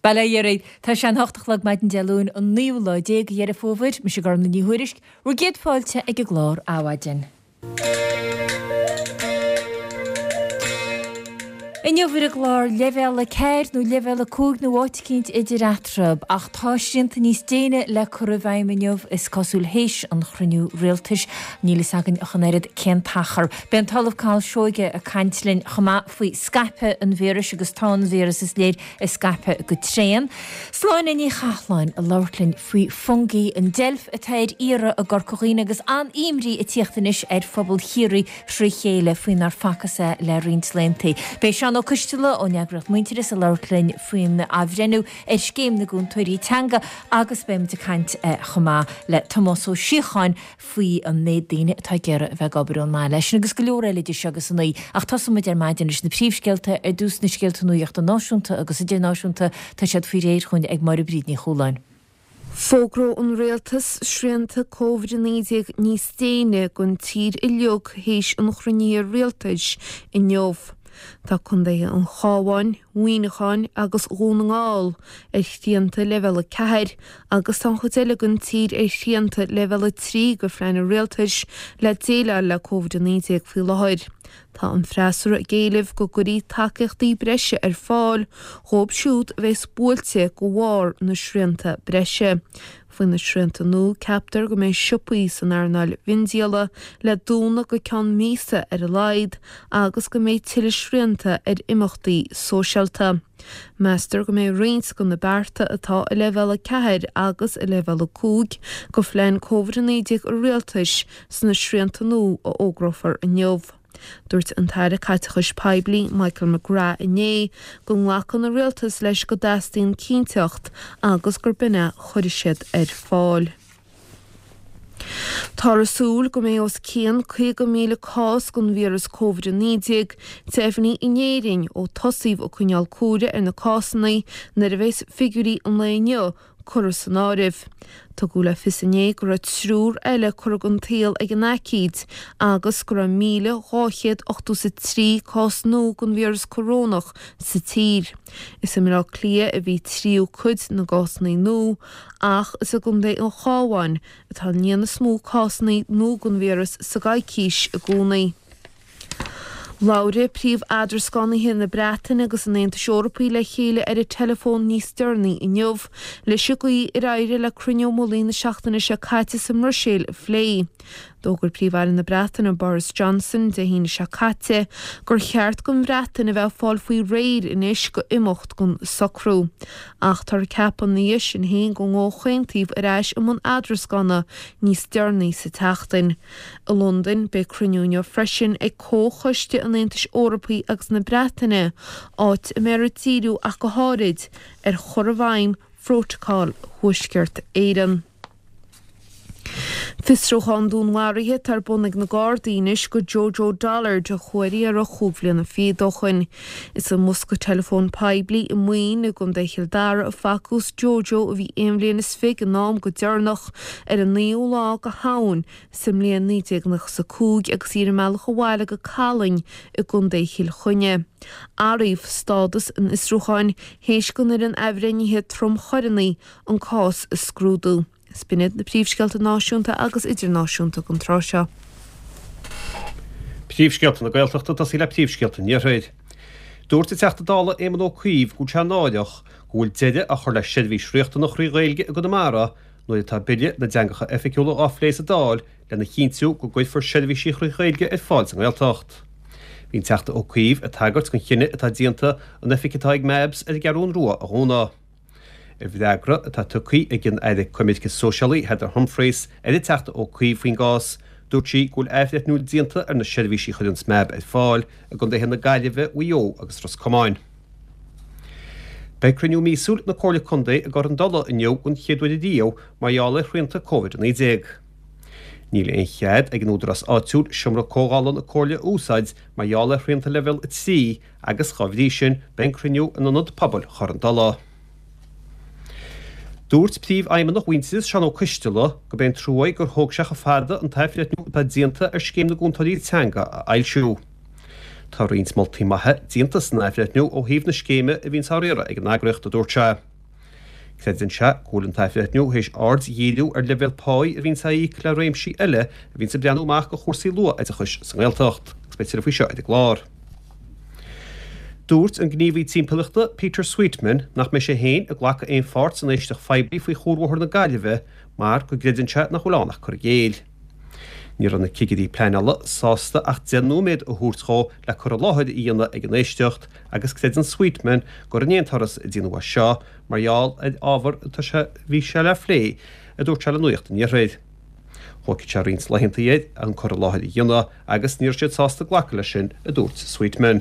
Bail ó Dhia oraibh. Tá sé an hocht a chlog maidin Dé Luain an naoú lá déag de Dheireadh Fómhair. Mise Gormfhlaith Ní Thuairisg, bhur gcéad fáilte ag an gclár Adhmhaidin. Inniu ar an gclár Leibhéal 4 nó Leibhéal 5 nó áit eicínt idir eatarthu, ach tá srianta níos déine le cur i bhfeidhm inniu, is cosúil théis an chruinniú rialtais. Níl fhios againn ach an oiread cén t-achar. Beidh an tOllamh Cathal Seoige ag caint linn chomh maith faoi scaipeadh an víris agus tá an víreas is léir ag scaipeadh go tréan. Sláine Ní Chathláin ag labhairt linn faoi Fungie, an deilf atá ar iarraidh i gCorca Dhuibhne agus an-imní ag tíocht anois ar phobal Chiarraí thrí chéile faoi nár facthas é le roinnt laethanta. Beidh Seán Ó Coisteala ón eagraíocht Muintearas ag labhairt linn faoin athbhreithniú ar Scéim na gCúntóirí Teanga agus beidh muid ag caint chomh maith le Tomás Ó Síocháin faoi an méid daoine atá ag iarraidh a bheith ag obair ón mbaile. Sin agus go leor eile idir seo agus a naoi. Ach tosóidh muid ar maidin leis na príomhscéalta. Ar dtús na scéalta nuachta náisiúnta agus idirnáisiúnta. Tá siad faoi réir chugainn ag Máire Bríd Ní Chualáin. Fógróidh an Rialtas srianta Covid-19 níos déine don tír uilig théis an chruinnithe rialtais inniu. Tá contaetha an Chabháin, Mhuineacháin agus Dhún na nGall ar shrianta Leibhéal 4 agus tá an chuid eile den tír ar shrianta Leibhéal 3 de phlean an rialtais le déileáil le Covid-19 faoi láthair. Tá an freasúra ag éileamh go gcuirfí tacaíochtaí breise ar fáil dhóibh siúd a bheas buailte de bharr na srianta breise. Faoi na srianta nua, ceaptar go mbeidh siopaí san earnáil mhiondíola le dúnadh go ceann míosa ar a laghad agus go mbeidh tuilleadh srianta ar imeachtaí sóisialta. Meastar go mbeidh roinnt de na bearta atá i Leibhéal 4 agus i Leibhéal 5 de phlean Covid-19 an Rialtais sna srianta nua a fhógrófar inniu. Dúirt an tAire Caiteachais Poiblí Michael McGrath inné go nglacann an Rialtas leis go dteastaíonn cinnteacht agus gur b'in é a chuirfidh siad ar fáil. Táthar ag súil go mbeidh os cionn 50,000 cás den víreas Covid-19 deimhnithe in Éirinn ó tosaíodh ag coinneáil comhaireamh ar na cásanna nuair a bheas figiúirí an lae inniu curtha san áireamh. Tugadh le fios inné go raibh triúr eile curtha den tsaol ag an aicíd agus go raibh 1,283 cás nua den víreas corónach sa tír. Is i mBaile Átha Cliath a bhí tríú cuid na gcásanna nua ach is i gcontae an Chabháin atá an líon is mó cásanna nua den víreas sa gcoicís i gcónaí. Labhair príomh-eadrascánaithe na Breataine agus an Aontais Eorpaigh le chéile ar an teileafón níos deireanaí inniu leis an gcaoi ar éirigh le cruinniú mullaigh na seachtaine seo caite sa mBruiséil a phlé. D'fhógair Príomh-Aire na Breataine Boris Johnson Dé hAoine seo caite gur cheart don Bhreatain a bheith ag fáil faoi réir anois go imeacht den socrú. Ach táthar ag ceapadh ina dhiaidh sin féin go gcomhaontófaí ar ais i mbun eadrascána níos deireanaí sa tseachtain. I Londain, beidh cruinniú inniu freisin ag Comhchoiste an Aontais Eorpaigh agus na Breataine, áit a mbeifear ag díriú ach go háirid ar chur i bhfeidhm Phrótacal Thuaisceart Éireann. Fiosrúchán dúnmharaithe atá ar bun ag na Gardaí anois go Jojo Dollard a chuaigh ar iarraidh chúig bhliana fichead ó shoin. Is i mbosca teileafóin poiblí i Maoin i gContae Chill Dara a facthas Jojo a bhí aon bhliain is fiche ag an am go deireanach ar an naoú lá go Shamhain sa mbliain 1995 agus í ar a mbealach abhaile go Callainn i gContae Chill Chainnigh. Athraíodh stádas an fhiosrúcháin théis don Fhoireann Athbhreithnithe Tromchoireanna an cás a scrúdú. Is b'in iad na príomhscéalta náisiúnta agus idirnáisiúnta don tráth seo. Príomhscéalta na Gaeltachta ag tosaí le príomhscéalta an Iarthair. Dúirt an Teachta Dála Éamon Ó Cuív go bhfuil sé náireach go bhfuil deireadh á chur le seirbhís riachtanach thrí Ghaeilge i gConamara nuair atá Bille na dTeangacha Oifigiúla á phlé sa Dáil lena chinntiú go gcuirfear seirbhísí thrí Ghaeilge ar fáil sa nGaeltacht. Bhí an Teachta Ó Cuív ag tagairt don chinneadh atá déanta an oifig atá ag MABS ar an gCeathrún Rua a dhúnadh. I bhfreagra atá tugtha ag an Aire Coimirce Sóisialaí Heather Humphreys ar an Teachta Ó Cuív faoin gcás, dúirt sí go bhfuil athbhreithniú déanta ar na seirbhísí a chuireann MAB ar fáil i gcontaetha na Gaillimhe, Mhaigh Eo agus Ros Comáin. Beidh cruinniú míosúil na Comhairle Contae i gCorr an Dola inniu den chéad uair riamh mar gheall ar shrianta Covid-19. Níl aon chead ag an údarás áitiúil seomra comhdhála na Comhairle a úsáid mar gheall ar shrianta Leibhéal 3 agus dá bhrí sin beidh an cruinniú in Ionad Pobail Chorr an Dola. Dúirt Príomhfheidhmeannach Mhuintearas, Seán Ó Coisteala, gurb é an trua é gur thóg sé chomh fada an t-athbhreithniú atá déanta ar Scéim na gCúntóirí Teanga a fhoilsiú. Tá roinnt moltaí maithe déanta san athbhreithniú ó thaobh na scéime a bhíonns á riaradh ag an eagraíocht, a dúirt sé. Creideann sé go bhfuil an t-athbhreithniú théis aird a dhíriú ar leibhéal páí a bhíonns á íoc le réimsí eile a bhíonns ag breathnú amach do chúrsaí luath-oideachais sa nGaeltacht. Agus beidh tuilleadh faoi seo ar an gclár. Dúirt an gníomhaí timpeallachta Peter Sweetman nach mbeidh sé féin ag glacadh aon pháirt san éisteacht phoiblí faoi Chuarbhóthar na Gaillimhe mar go gcreideann sé nach bhfuil ann ach cur i gcéill. Ní raibh na cigirí pleanála sásta ach 10 nóiméad a thabhairt dhó le cur i láthair a dhéanamh ag an éisteacht agus creideann Sweetman gur in aon turas a déanadh é seo mar gheall ar ábhar atá sé bhí sé le phlé, a dúirt sé le Nuacht an Iarthair. Thógfadh sé roinnt laethanta air an cur i láthair a dhéanamh agus ní raibh siad sásta glacadh leis sin, a dúirt Sweetman.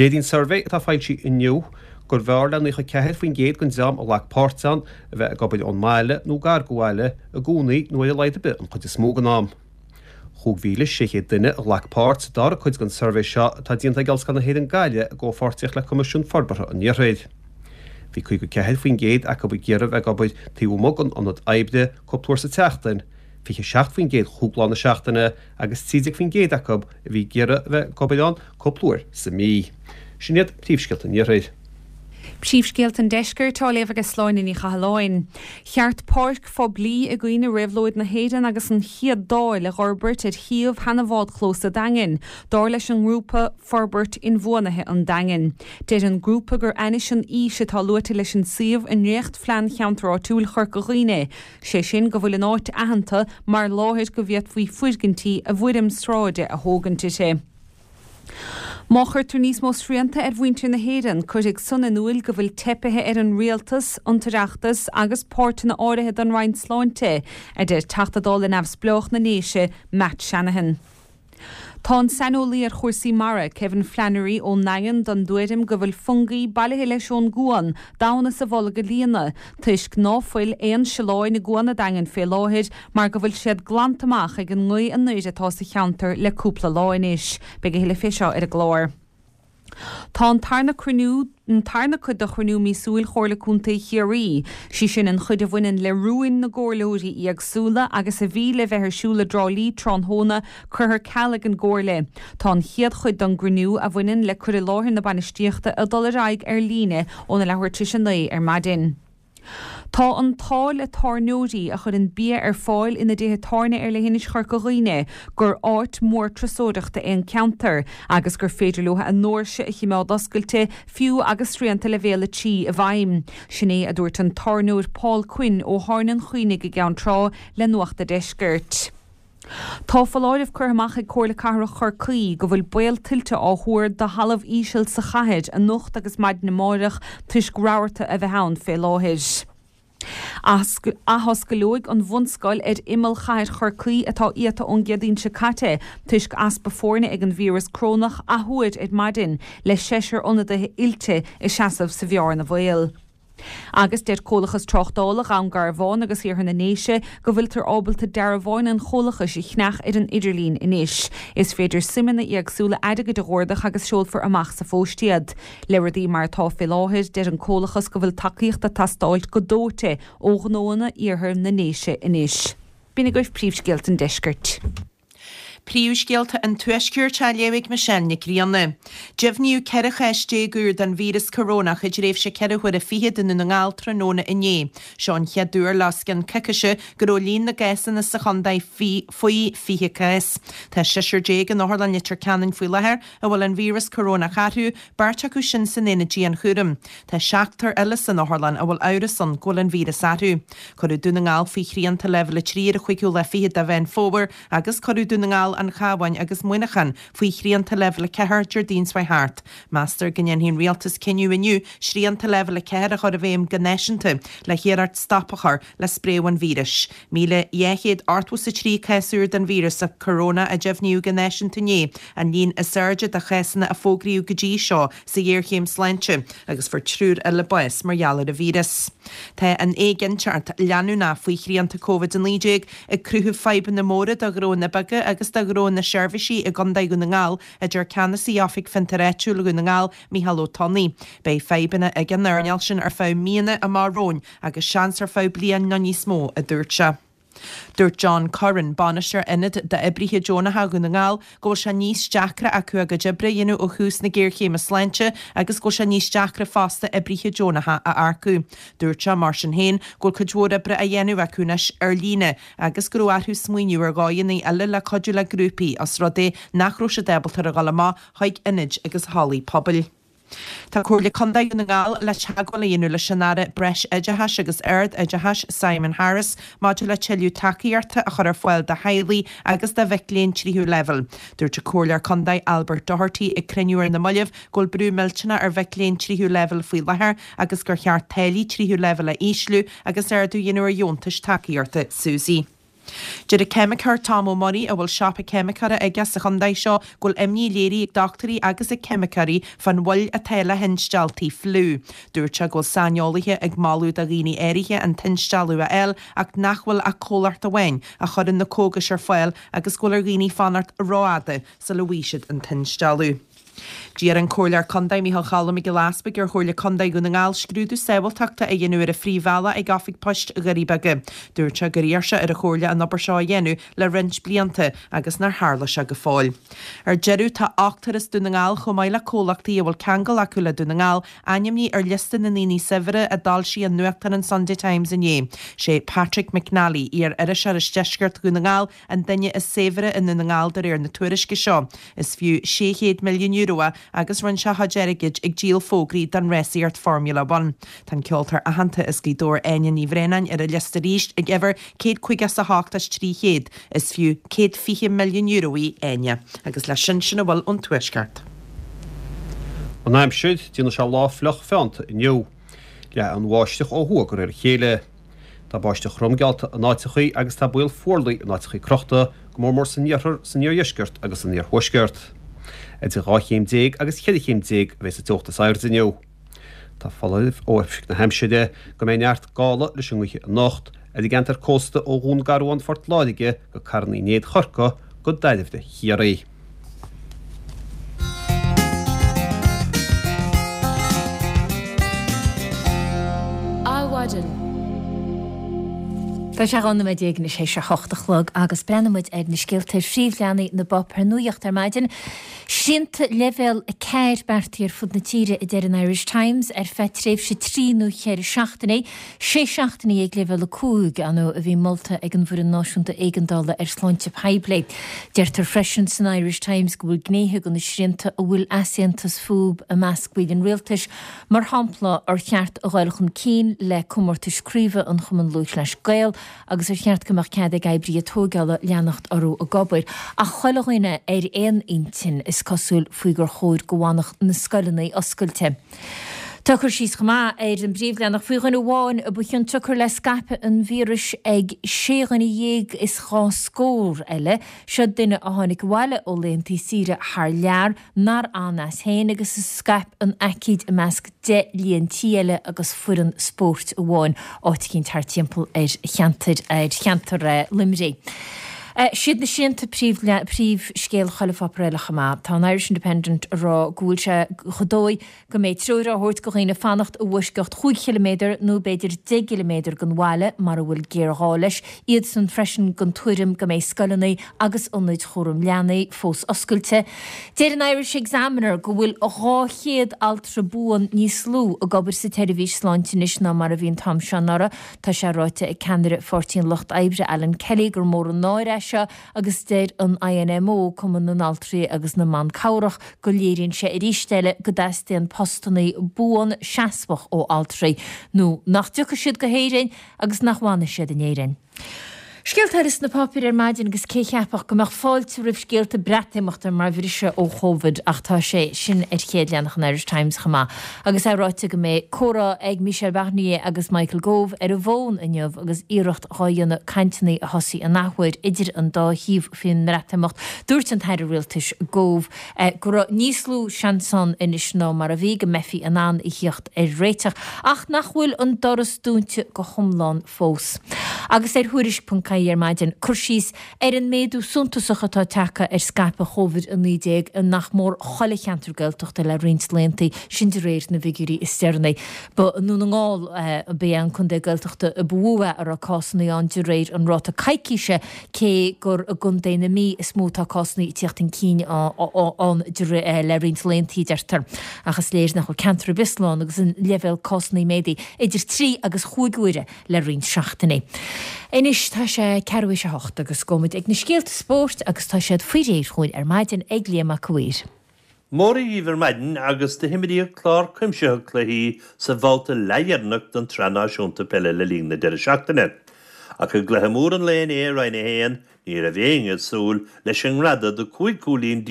Léiríonn suirbhé atá foilsithe inniu gurbh fhearr le 94% den dream a ghlac páirt ann a bheith ag obair ón mbaile nó gar do bhaile i gcónaí nó ar a laghad ar bith an chuid is mó den am. 5,600 duine a ghlac páirt sa dara cuid den suirbhé seo atá déanta ag Ollscoil na hÉireann Gaillimh i gcomhpháirtíocht le Coimisiún Forbartha an Iarthair. Bhí 54% acu ag iarraidh a bheith ag obair taobh amuigh den ionad oibre cúpla uair sa tseachtain, 27% chúig lá na seachtaine agus 13% acu a bhí ag iarraidh a bheith ag obair ann cúpla uair sa mhí. Sin iad príomhscéalta an Iarthair. Príomhscéalta an Deiscirt á léamh ag Sláine Ní Chathalláin. Cheart páirc phoiblí i gcuimhne Réabhlóid na hÉireann agus an Chéad Dáil a dh'fhorbairt ar shuíomh sheana-bhádchlós a' Daingin, dar leis an ngrúpa Forbairt Inbhuanaithe an Daingin. Deir an grúpa gur ainnis an fhís atá luaite leis an suíomh i ndréacht-Phlean Cheantar Áitiúil Chorca Dhuibhne, sé sin go bhfuil an áit aitheanta mar láthair go bhféadfaí foirgintí i bhfoirm sráide a thógaint uirthi. Má chuirtear níos mó srianta ar mhuintir na hÉireann, cuirfidh san in iúil go bhfuil teipithe ar an Rialtas, an tOireachtas agus páirteanna áirithe den Roinn Sláinte, a deir Teachta Dála Neamhspleách na nDéise, Matt Shanahan. Tá an saineolaí ar chúrsaí mara, Kevin Flannery ón nDaingean den dtuairim go bhfuil fungaí bailithe leis ón gcuan damhna sa bholg a líonadh toisc ná fuil aon sileáin i gCuan a' Daingin fé láthair mar go bhfuil siad glanta amach ag an ngaoth anoir atá sa cheantar le cúpla lá anois. Beidh a thuilleadh fé seo ar an gclár. Tá an tarna cruinniú, an tarna cuid de chruinniú míosúil Chomhairle Contae Chiarraí, sí sin an chuid a bhaineann le rúin na gcomhairleoirí éagsúla agus a bhí le bheith ar siúl i dTrá Lí tráthnóna, curtha ar ceal ag an gComhairle. Tá an chéad chuid den gcruinniú, a bhaineann le cur i láthair na bainistíochta, ag dul ar aghaidh ar líne óna leathuair tar éis a 9 ar maidin. Tá an t-ádh le tábhairneoirí a chuireann bia ar fáil ina dtithe tábhairne ar leithinis Chorca Dhuibhne gur áit mhór turasóireachta é an ceantar agus gur féidir leo a ndoirse a chimeád oscailte fiú agus srianta Leibhéal 3 i bhfeidhm. Sin é a dúirt an tábhairneoir Paul Quinn ó Thábhairne an Chaonaigh i gCeann Trá le Nuacht a' Deiscirt. Tá foláireamh curtha amach ag Comhairle Cathrach Chorcaí go bhfuil baol tuilte á thuar do thalamh íseal sa chathair anocht agus maidin amáireach toisc rabharta a bheith ann fé láthair. Athoscaileoidh an bhunscoil ar imeall chathair Chorcaí atá iata ón gCéadaoin seo caite toisc easpa foirne ag an víreas corónach athuair ar maidin le seisear ionadaithe oilte ag seasamh sa bhearna bhaoil. Agus deir Comhlachas Tráchtála Dhún Garbhán agus Iarthar na nDéise go bhfuiltear ábalta dearbháin an chomhlachais a cheannach ar an idirlíon anois. Is féidir suimeanna éagsúla airgid a dh'ordach agus seolfar amach sa phóst iad. Le rudaí mar atá fé láthair, deir an comhlachas go bhfuil tacaíocht ag teastáilt go dóite ó ghnóanna Iarthar na nDéise anois. B'in agaibh príomhscéalta an deiscirt. Príomhscéalta an Tuaiscirt á léamh ag Michelle Nic Grianna. Deimhníodh 14 chás úr den víreas corónach i dtréimhse ceithre huaire fichead i nDún na nGall tráthnóna inné. Seo an chéad uair le os cionn coicíse go raibh líon na gcásanna sa chontae faoi 20 cás. Tá seisear déag in Otharlann Leitir Ceanainn faoi láthair a bhfuil an víreas corónach orthu, beirt acu sin san aonad dianchúraim. Tá seachtar eile san otharlann a bhfuil amhras ann go bhfuil an víreas orthu. Cuireadh Dún na nGall faoi shrianta Leibhéal 3 ar an chúigiú lá fichead de Mheán Fómhair Agus cuireadh Dún na nGall, An Cabhán agus Muineachán faoi shrianta Leibhéal 4 Déardaoin seo thart. Meastar go ndéanfaidh an Rialtas cinneadh inniu srianta Leibhéal 4 a chur i bhfeidhm go náisiúnta le hiarracht stop a chur le spréadh an víris. 1,283 cás úr den víreas corónach a deimhníodh go náisiúnta inné, an líon is airde de chásanna a fógraíodh go dtí seo sa ghéarchéim sláinte, agus fuair triúr eile bás mar gheall ar an víreas. Tá an éiginnteacht leanúnach faoi shrianta Covid-19 ag cruthú fadhbanna móra do ghnóanna beaga agus do ghnóanna seirbhísí i gContae Dhún na nGall, a deir Ceannasaí Oifig Fiontair Áitiúil Dhún na nGall, Micheál Ó Tonnaigh. Beidh fadhbanna ag an earnáil sin ar feadh míonna amach romhainn agus seans ar feadh bliain nó níos mó, a dúirt sé. Dúirt John Curran, bainisteoir Ionad d'Oibrithe Deonacha Dhún na nGall, go bhfuil sé níos deacra acu a gcuid oibre a dhéanamh ó thús na géarchéime sláinte agus go bhfuil sé níos deacra fosta oibrithe deonacha a earcú. Dúirt sé, mar sin féin, go bhfuil cuid mhór oibre á dhéanamh acu anois ar líne agus go raibh orthu smaoineamh ar dhóigheanna eile le cuidiú le grúpaí os rud é nach raibh siad ábalta a dhul amach chuig ionaid agus hallaí pobail. Tá Comhairle Contae Dhún na nGall le teagmháil a dhéanamh leis an Aire Breis-Oideachais agus Ard-Oideachais Simon Harris maidir le tuilleadh tacaíochta a chur ar fáil do theaghlaigh agus do mhic léinn tríú leibhéal. Dúirt an Comhairleoir Contae Albert Doherty ag cruinniú ar na mallaibh go bhfuil brú millteanach ar mhic léinn tríú leibhéal faoi láthair agus gur cheart táillí tríú leibhéal a ísliú agus ardú a dhéanamh ar dheontais tacaíochta SUSI. Deir an ceimiceoir Tom Ó Muirí, a bhfuil siopa ceimiceora aige sa chontae seo, go bhfuil imní léirithe ag dochtúirí agus ag ceimiceoirí fán mhoill atá le hinstealltaí fliú. Dúirt sé go bhfuil saineolaithe ag moladh do dhaoine áirithe an t-instealladh a fháil ach nach bhfuil ach comhlacht amháin a chuireann na cógais ar fáil agus go bhfuil ar dhaoine fanacht rófhada sula bhfaighidh siad an t-instealladh. D'iarr an Comhairleoir Contae Micheál Choilm Mac Giolla Easpaig ar Chomhairle Contae Dhún na nGall scrúdú sábháilteachta a dhéanamh ar an phríomhbhealach ag Oifig Poist Dhoirí Beaga. Dúirt sé gur iarr sé ar an Chomhairle an obair seo a dhéanamh le roinnt blianta agus nár tharla sé go fóill. Ar deireadh, tá ochtar as Dún na nGall chomh maith le comhlachtaí a bhfuil ceangal acu le Dún na nGall ainmnithe ar liosta na ndaoine saibhre a d'fhoilsigh an nuachtán an Sunday Times inné. Sé Patrick McNally, iar-iriseoir as deisceart Dhún na nGall, An duine is saibhre i nDún na nGall de réir na tuairisce seo. Is fiú €600 milliún é agus rinne sé a chuid airgid ag díol fógraí don rásaíocht Formula One. Tá an ceoltóir aitheanta as Gaoth Dobhair Áine Ní Bhraonáin ar an liosta arís ag uimhir 158 as 300. Is fiú €120 milliún í Áine. Agus leis sin, sin a bhfuil ón Tuaisceart. An aimsir, déanfaidh sé lá fliuch feannta inniu. Leathfaidh an bháisteach ó thuaidh de réir a chéile. Tá báisteach throm geallta in áiteachaí agus tá baol fuarlaigh in áiteachaí crochta, go mór mór san iarthar, san iardheisceart agus san iarthuaisceart. Idir 12 chéim agus 14 chéim a bheas an teocht is airde inniu. Tá foláireamh ó Oifig na hAimsire go mbeidh neart gála leis an ngaoth anocht ar an gceantar cósta ó Dhún Garbhán Phort Láirge go Carn Uí Néid Chorcaí go Dairbhre Chiarraí. Adhmhaidin. Tá sé 12 nóiméad anois théis a hocht a chlog agus breathnóidh muid ar na scéalta ar phríomhleathanaigh na bpáipéar nuachta ar maidin. Srianta leibhéal 4 beartaithe ar fud na tíre, a deir an Irish Times, ar feadh tréimhse trí nó cheithre seachtainí. Sé seachtainí ag leibhéal 5, ar ndóigh, a bhí molta ag an bhFoireann Náisiúnta Éigeandála ar Shláinte Poiblí. Deirtear freisin san Irish Times go bhfuil gnéithe de na srianta a bhfuil easaontas fúthu i measc baill an rialtais, mar shampla, ar cheart a dhul chun cinn le comórtais craoibhe an Chumann Lúthchleas Gael agus ar cheart go mbeadh cead ag oibrithe tóigeála leanacht orthu ag obair. Ach chuile dhuine ar aon intinn, is cosúil, faoi gur chóir go bhfanfadh na scoileanna oscailte. Tá cur síos chomh maith ar an bpríomhleathanach faoi dhuine amháin a ba chionsiocair le scaipeadh an víris ag sé dhuine dhéag is dhá scór eile. Seo duine a tháinig abhaile ó laethantaí saoire thar lear, nár fhan as féin agus a scaip an aicíd i measc 10 líon tí eile agus foireann spóirt amháin, áit eicínt thart timpeall ar cheantar ar cheantar Luimnigh. Siad na srianta príomhscéal chuile pháipéar eile chomh maith. Tá an Irish Independent ag rá go bhfuil sé chomh dóigh go mbeidh treoir á thabhairt do dhaoine fanacht i bhfoisceacht chúig chiliméadar nó b'fhéidir 10 gciliméadar den bhaile mara bhfuil géarghá leis, iadsan freisin den tuairim go mbeidh scoileanna agus ionaid chúram leanaí fós oscailte. Deir an Irish Examiner go bhfuil 200 altra buan níos lú ag obair sa tseirbhís sláinte anois ná mar a bhí an t-am seo anuraidh. Tá sé ráite ag ceannaire Pháirtí an Lucht Oibre Alan Kelly gur mór an náire é seo agus deir an INMO, Cumann na nAltraí agus na mBan Cabhrach, go léiríonn sé arís eile go dteastaíonn postannaí buan seasmhach ó altraí nó nach dtiocfaidh siad go hÉirinn agus nach bhfanfaidh siad in Éirinn. Scéalta eile sna páipéir ar maidin agus cé cheapfadh go mbeadh fáilte roimh scéalta Breatimeachta mar bhriseadh ó Chóvid ach tá sé sin ar chéad leathanach an Irish Times chomh maith agus é ráite go mbeidh comhrá ag Michel Barnier agus Michael Gove ar an bhfón inniu agus iarracht dhá dhéanamh cainteanna a thosaí an athuair idir an dá thaobh faoin mBreatimeacht. Dúirt an tAire Rialtais Gove go raibh níos lú seans ann anois ná mar a bhí go mbeifí in ann a thíocht ar réiteach ach nach bhfuil an doras dúnta go hiomlán fós. Agus ar Thuairisc. Aghaidh ar maidin, cur síos ar an méadú suntasach atá tagtha ar scaipeadh Chóvid-19 i nach mór chuile cheantar Gaeltachta le roinnt laethanta, sin de réir na bhfigiúirí is deireanaí. Ba i nDún na nGall ba ea an contae Gaeltachta a ba mhó a raibh cásanna ann de réir an ráta coicíse, cé gur i gcontae na Mí is mó atá cásanna ag tíocht chun cinn ann le roinnt laethanta, a deirtear. Ach is léir nach bhfuil ceantar ar bith slán agus an leibhéal cásanna méadaithe idir trí agus chúig huaire le roinnt seachtainí. Anois tá sé ceathrú théis a hocht agus gabhfaidh muid ag na scéalta spóirt agus tá siad faoi réir chugainn ar maidin ag Liam Mac a' Mhaoir. Mora dhíbh ar maidin agus do himríodh clár cuimsitheach cluichí sa bhabhta leathdheireanach den tSraith Náisiúnta Peile le linn na deireadh seachtaine. Ach i gcluiche mór an lae inné i Roinn 1, ní raibh éinne ag súil leis an ngreadadh de 15 cúilín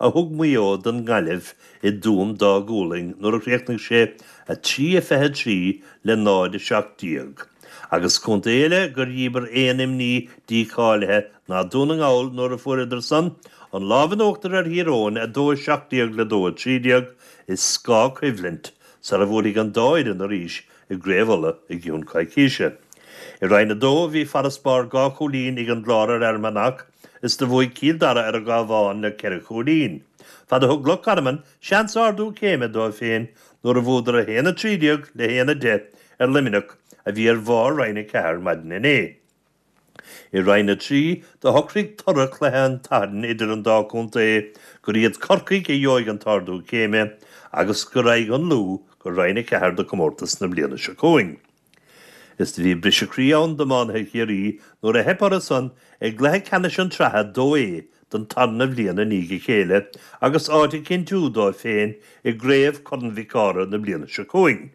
a thug Maigh Eo don nGaillimh i dTuaim Dá Gualainn nuair a chríochnaigh sé 3-23 le 0-17. Agus contae eile gur dhíbir aon imní dícháilithe ná Dún na nGall nuair a fuaireadar san an lámh in uachtar ar Thír Eoghain 2-17 le 2-13 i scáthchoimhlint sara bhuailfidh an dá fhoireann arís i gCraobh Uladh i gcionn coicíse. I Roinn 2 bhí farasbarr dhá chúilín ag an gClár ar Fhear Manach is do bhuaigh Cill Dara ar an gCabhán le ceithre chúilín. Fad a thug Loch Garman seans ardú céime dóibh féin nuair a bhuadar 1-13 le 1-10 ar Luimneach a bhí ar bharr Roinn 4 maidin inné. I Roinn 3, do shocraigh toradh chluiche an tSathairn idir an dá chontae gur iad Corcaigh a gheobhaidh an t-ardú céime agus go raghaidh an Lú go Roinn 4 de chomórtas na bliana seo chugainn. Is do bhí briseadh croí ann d'iománaithe Chiarraí nuair a theip orthu san i gcluiche ceannais an tSraithe 2A don tarna bhliain i ndiaidh a chéile agus áit a chinntiú dóibh féin i gCraobh Chorn Mhic Ádhaimh na bliana seo chugainn.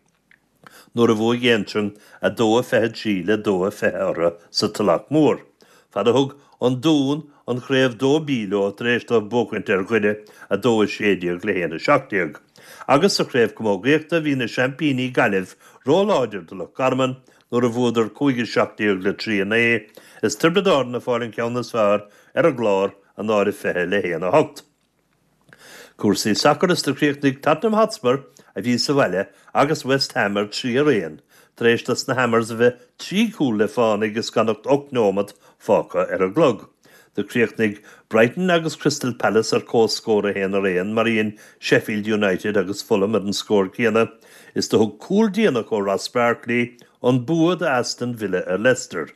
nuair a bhuaigh Aontroim 2-23 le 2-20 orthu sa Tulach Mhór, fad a thug an Dún an Chraobh 2B leo tar éis dóibh buachaint ar Dhoire 2-16 le 1-17. Agus sa Chraobh Camógaíochta bhí na seaimpíní Gaillimh róláidir do Loch Garman nuair a bhuadar 5-17 le 3-9 is Tiobraid Árann ag fáil an ceann is fearr ar an gClár 0-20 le 1-8. Cúrsaí sacair is do chríochnaigh Tottenham Hotspur, a bhí sa bhaile, agus West Ham ar 3 araon, tar éis dos na Hammers a bheith trí chúl le fánaidh is gan ach 8 neomat fágtha ar an gclog. Do chríochnaigh Brighton agus Crystal Palace ar comhscór 1 araon, mar a dhein Sheffield United agus Fulham ar an scór céanna, is do thug cúl déanach ó Ross Barkley an bua do Aston Villa ar Leicester.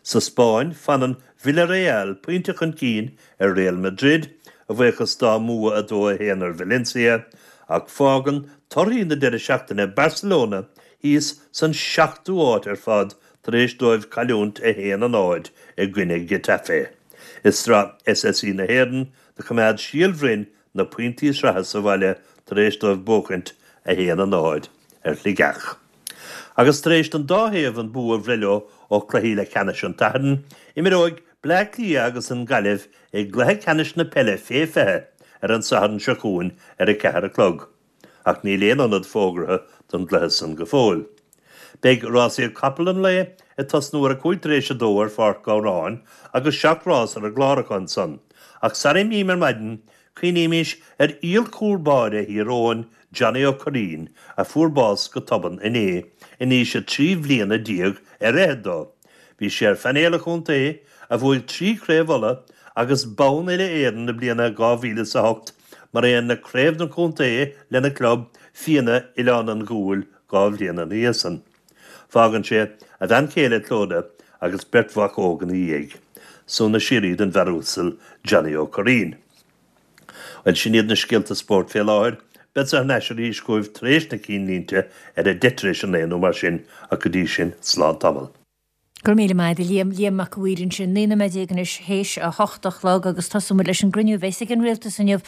Sa Spáinn, fanann Villarreal pointe chun cinn ar Real Madrid, a bhuíochas dá mbua 2-1 ar Valencia, ach fágann torthaí na deireadh seachtaine Barcelona thíos san seachtú háit ar fad tar éis dóibh cailliúint 1-0 i gcoinne Getafe. I Sraith SSE na hÉireann, do choimeád Síol Bhroin na pointí sraithe sa bhaile tar éis dóibh buachaint 1-0 ar Shligeach. Agus tar éis don dá thaobh an bua a bhreith leo ó chluichí leathcheannais an tSathairn, imreoidh Bleá Cliath agus an Ghaillimh i gcluiche ceannais na peile fé 20 ar an Satharn seo chugainn ar a ceathair a chlog. Ach níl aon ionad fógartha don gcluiche san go fóill. Beidh rásaíocht capall an lae ag tosnú ar a cúig tar éis a dó ar Pháirc Ghabhráin agus seacht rás ar an gclár acu ansan. Ach sara imím ar maidin, cuimhnímis ar fhíor-chúl báire Thír Eoghain, Johnny Ó Curraoin, a fuair bás go tobann inné, in aois a trí bhliana déag ar fhichead dó. Bhí sé ar phainéal an chontae, a bhuaigh trí Chraobh Uladh agus bonn Uile-Éireann na bliana 2008, mar aon le Craobh na Contae lena chlub, Fianna Oileán an Ghuail, dhá bhliain ina dhiaidh san. Fágann sé a bhean chéile Clodagh agus beirt mhac óg ina dhiaidh. Suaimhneas síoraí don bhfear uasal Johnny Ó Curraoin. Bhuel, sin iad na scéalta spóirt fé láthair. Beadsa thar n-ais arís chugaibh tar éis na cinnlínte ar a deich tar éis a naoi nó mar sin, ach go dtí sin, slán tamall. Go raibh míle maith agat a Liam. Liam Mac a' Mhaoir ansin. 19 nóiméad anois théis a hocht a chlog agus tosóidh muid leis an gcruinniú a bheas ag an Rialtas inniu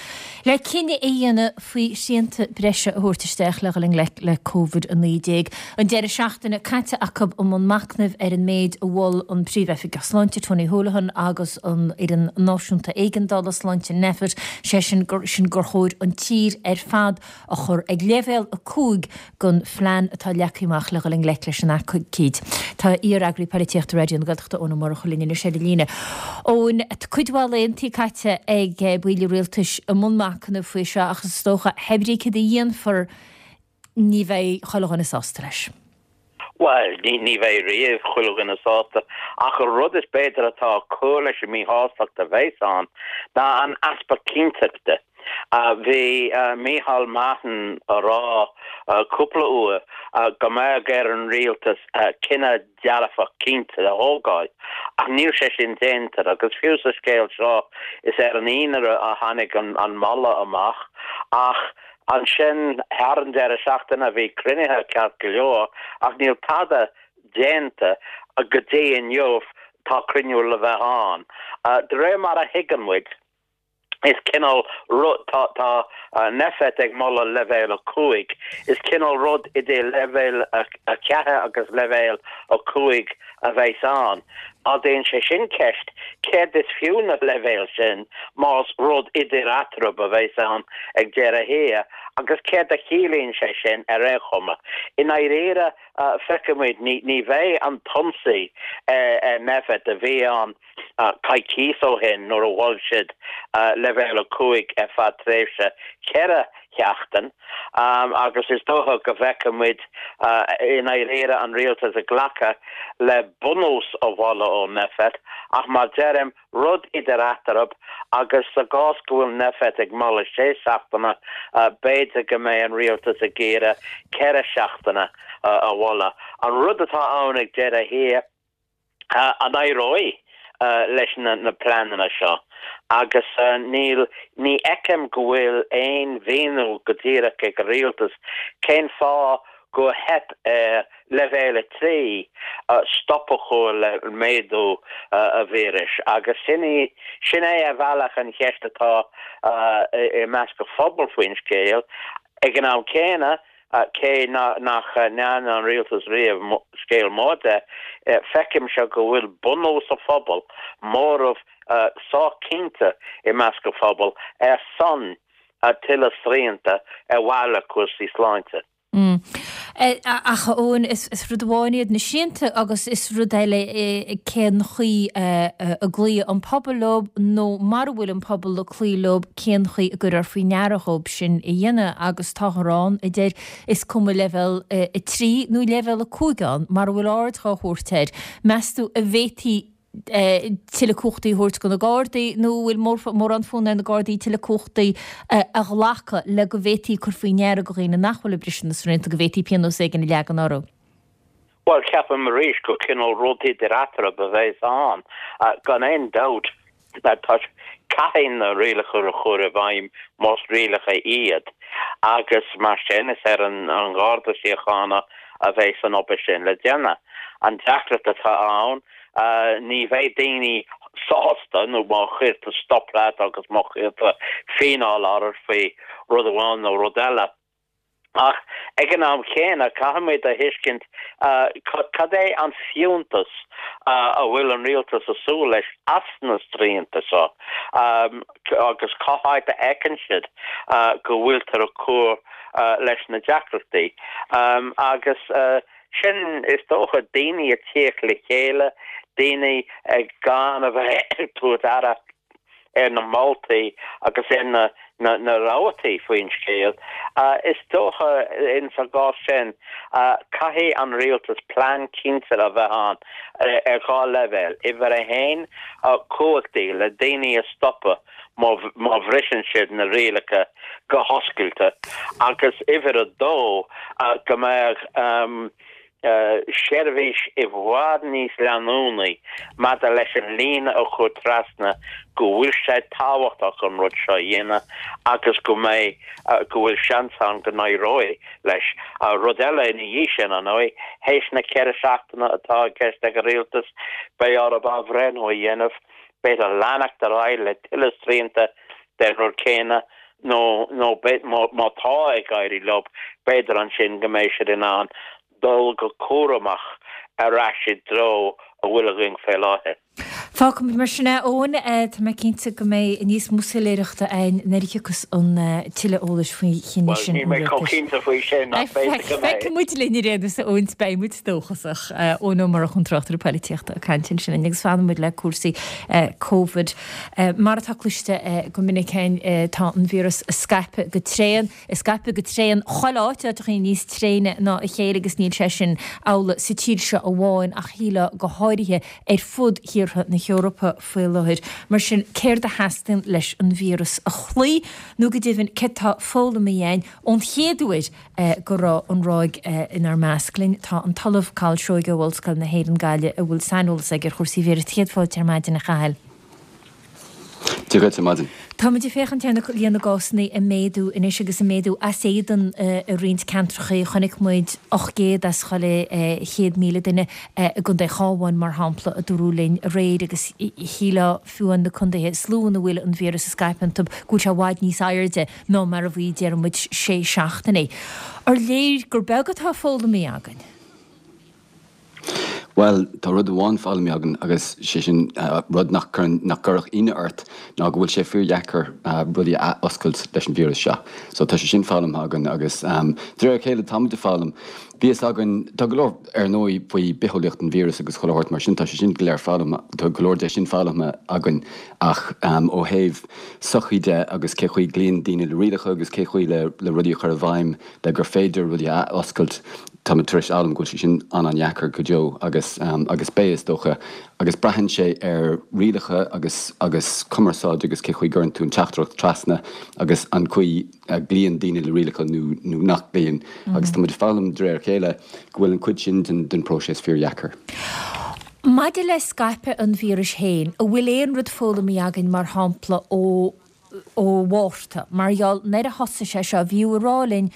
le cinneadh a dhéanamh faoi shrianta breise a thabhairt isteach le dhul i ngleic le Covid-19. An deireadh seachtaine caite acu i mbun machnaimh ar an méid a mhol an Príomh-Oifigeach Sláinte Tony Holohan agus an Fhoireann Náisiúnta Éigeandála Sláinte Nphet, sé sin gur sin gur chóir an tír ar fad a chur ag leibhéal 5 den phlean atá leagtha amach le dhul i ngleic leis an aicíd. Tá iar-eagraí polaitíochta Raidió na Gaeltachta Eoin Ó Murchú linn anois ar an líne. Eoin, tá cuid mhaith laethantaí caite ag baill an rialtais i mbun machnaimh faoi seo ach is dócha, pé brí cad a dhéanfar ní bheidh chuile dhuine sásta leis. Bhuel, ní bheidh riamh chuile dhuine sásta, ach an rud is b'fhéidir atá ag cur leis an míshástacht a bheas ann ná an easpa cinnteachta. Bhí Micheál Martin a rá cúpla uair go mbeadh ar an rialtas cinneadh dearfach cinnte a thógáil, ach níl sé sin déanta agus fiú sa scéal seo is ar an Aoine a tháinig an moladh amach ach Ansin, thar an deireadh seachtaine, bhí cruinnithe ceart go leor, ach níl tada déanta go dtí inniu, tá cruinniú le bheith ann. De réir mar a thuigeann muid, is cineál rud, tá, tá Nphet ag moladh leibhéal 5, is cineál rud idir leibhéal 4 agus leibhéal 5 a bheas ann. Ardaíonn sé sin ceist, céard is fiú na leibhéil sin más rud idir eatarthu a bheas ann ag deireadh thiar, agus céard a chiallaíonn sé sin ar aon chuma? I ndáiríre, feicfimid, ní bheidh an t-ionsaí ar Nphet a bhí ann coicíos ó shin nuair a mhol siad leibhéal 5 ar feadh tréimhse 4 sheachtain agus is dócha go bhfeicfidh muid i ndáiríre an rialtas ag glacadh le bunús an mholadh ó Nphet ach mar deirim, rud idir eatarthu agus sa gcás go bhfuil Nphet ag moladh sé seachtaine, b'fhéidir go mbeidh an rialtas ag iarraidh 4 seachtaine a mholadh. An rud atá ann ag deireadh thiar, An éireoidh leis na pleananna seo? Agus níl, ní fheicim go bhfuil aon mhíniú go díreach ag an rialtas cén fáth gur theip ar leibhéal 3 stop a chur le méadú an víris. Agus sin í, sin é ar bhealach an cheist atá i measc an phobail faoin scéal. Ag an am céanna, Cé nach ndearna an rialtas riamh scéal mór de, feicimse go bhfuil bunús an phobail, móramh sách cinnte i measc an phobail, ar son tuilleadh srianta ar mhaithe le cúrsaí sláinte. Ach, a Eoin, is rud amháin iad na srianta agus is rud eile é cén chaoi a gcloífidh an pobal leo nó mara bhfuil an pobal ag cloí leo cén chaoi a gcuirfear faoi ndeara dhóibh sin a dhéanamh agus táthar ann a deir is cuma leibhéal 3 nó leibhéal 5 ann mara bhfuil aird dhá thabhairt air. Meas tú an bhféadfaí tuilleadh cumhachtaí a thabhairt do na Gardaí nó an bhfuil mórán fonn ar na Gardaí tuilleadh cumhachtaí a ghlacadh le go bhféadfaí cur faoi ndeara do dhaoine nach bhfuil ag briseadh na srianta go bhféadfaí pionós éigin a leagan orthu? Bhuel, ceapaim arís gur cineál rud idir eatarthu a bheas ann. Gan aon dabht, tá, caithfidh na rialacha a chur i bhfeidhm más rialacha iad agus mar sin is ar an Gharda Síochána a bheas an obair sin le déanamh. An deacracht atá ann, ní bheidh daoine sásta nó má chuirtear stop leat agus má chuirtear fíneáil ort faoi rud amháin nó rud eile, Ach ag an am chéanna, caithfimid a thuiscint cad é an fiúntas a bhfuil an rialtas ag súil leis as na srianta seo agus cá háit a fheiceann siad go bhfuiltear ag cur leis na deacrachtaí. Agus sin, is dócha, daoine ag tíocht le chéile, daoine gan a bheith ag tabhairt aire ar na moltaí agus ar na na rabhtaí faoin scéal. Is dócha in sa gcás sin, caithfidh an rialtas plean cinnte a bheith ann ar dhá leibhéal. Uimhir a haon, cumhachtaí le daoine a stopadh má má bhriseann siad na rialacha go hoscailte agus uimhir a dó, go mbeadh seirbhís i bhfad níos leanúnaí maidir leis an líne a chur trasna go bhfuil sé tábhachtach an rud seo a dhéanamh agus go mbeidh, go bhfuil seans ann go n-éireoidh leis. Rud eile ina dhiaidh sin, ar ndóigh, théis na 4 seachtaine atá i gceist ag an rialtas, beidh orthu athbhreithniú a dhéanamh, b'fhéidir leanacht ar aghaidh le tuilleadh srianta den rud céanna nó nó má tá ag éirí leo, b'fhéidir ansin go mbeidh siad in ann dul go cúramach ar ais i dtreo a bhfuil againn fé láthair. Fágfaimid mar sin é, Eoin. Tá mé cinnte go mbeidh níos mó soiléireachta againn nuair a thiocfas an tuilleadh eolais faoi chinneadh Bhuel, sin níl an mé chomh rialtais. cinnte faoi sin, ach b'fhéidir go mbeidh. Feicfidh muid linn ar aon nós, a Eoin, beidh muid dóchasach. Eoin Ó Murchú, an tráchtaire poilitíochta ag caint ansin linn agus fanfaidh muid le cúrsaí Covid. Mar atá cloiste go minic againn, tá an víreas ag scaipeadh go tréan. Ag scaipeadh go tréan chuile áit, áiteachaí níos tréine ná a chéile agus níl sé sin amhlaidh sa tír seo amháin ach shílfeá go háirithe ar fud thíortha na hEorpa faoi láthair. Mar sin, céard a theastaíonn leis an víreas a chloí nó go deimhin céard atá foghlamtha againn ón chéad uair go raibh an ráig inár measc? Linn tá an tOllamh Cathal Seoighe ó Ollscoil na hÉireann Gaillimh a bhfuil saineolas aige ar chúrsaí víris. Céad fáilte ar maidin, a Chathail. Dia dhuit ar maidin. Táimid ag féachaint ar líon na gcásanna ag méadú anois agus ag méadú as éadan i roinnt ceantracha. Chonaic muid 800 as chuile 100,000 duine i gContae an Chabháin, mar shampla, a dúradh linn aréir agus shílfeá fiú amháin na contaetha is lú ina bhfuil an víreas ag scaipeadh iontu go bhfuil sé i bhfad níos airde ná mar a bhí, déarfaidh muid, sé seachtaine. Ar léir gur beag atá foghlamtha againn? Bhuel, tá rud amháin foghlamtha againn agus sé sin rud nach gcuireann, nach gcuirfeadh ionadh ort, ná go bhfuil sé fíordheacair rudaí a ath-oscailt leis an víreas seo. So tá sé sin foghlamtha againn agus de réir a chéile táimid ag foghlaim. Bhí fhios againn, tá go leor ar ndóigh faoi bitheolaíocht an víris agus chuile shórt mar sin, tá sé sin go léir foghlamtha, tá go leor de sin foghlamtha againn ach ó thaobh sochaí de agus cé chaoi gcloíonn daoine le rialacha agus cé chaoi le rudaí a chur i bhfeidhm le gur féidir rudaí a ath-oscailt, Táimid tar éis fhoghlaim go bhfuil sé sin an-an-dheacair go deo agus agus beidh, is dócha, agus braitheann sé ar rialacha agus agus cumarsáid agus cé chaoi gcuireann tú an teachtaireacht trasna agus an chaoi a gcloíonn daoine le rialacha nó nó nach gcloíonn agus táimid ag foghlaim de réir a chéile go bhfuil an chuid sin den den próiseas fíordheacair. Maidir le scaipeadh an víris féin, an bhfuil aon rud foghlamtha againn, mar shampla, ó ó Mhárta, mar gheall nuair a thosaigh sé seo, bhíodh ag rá linn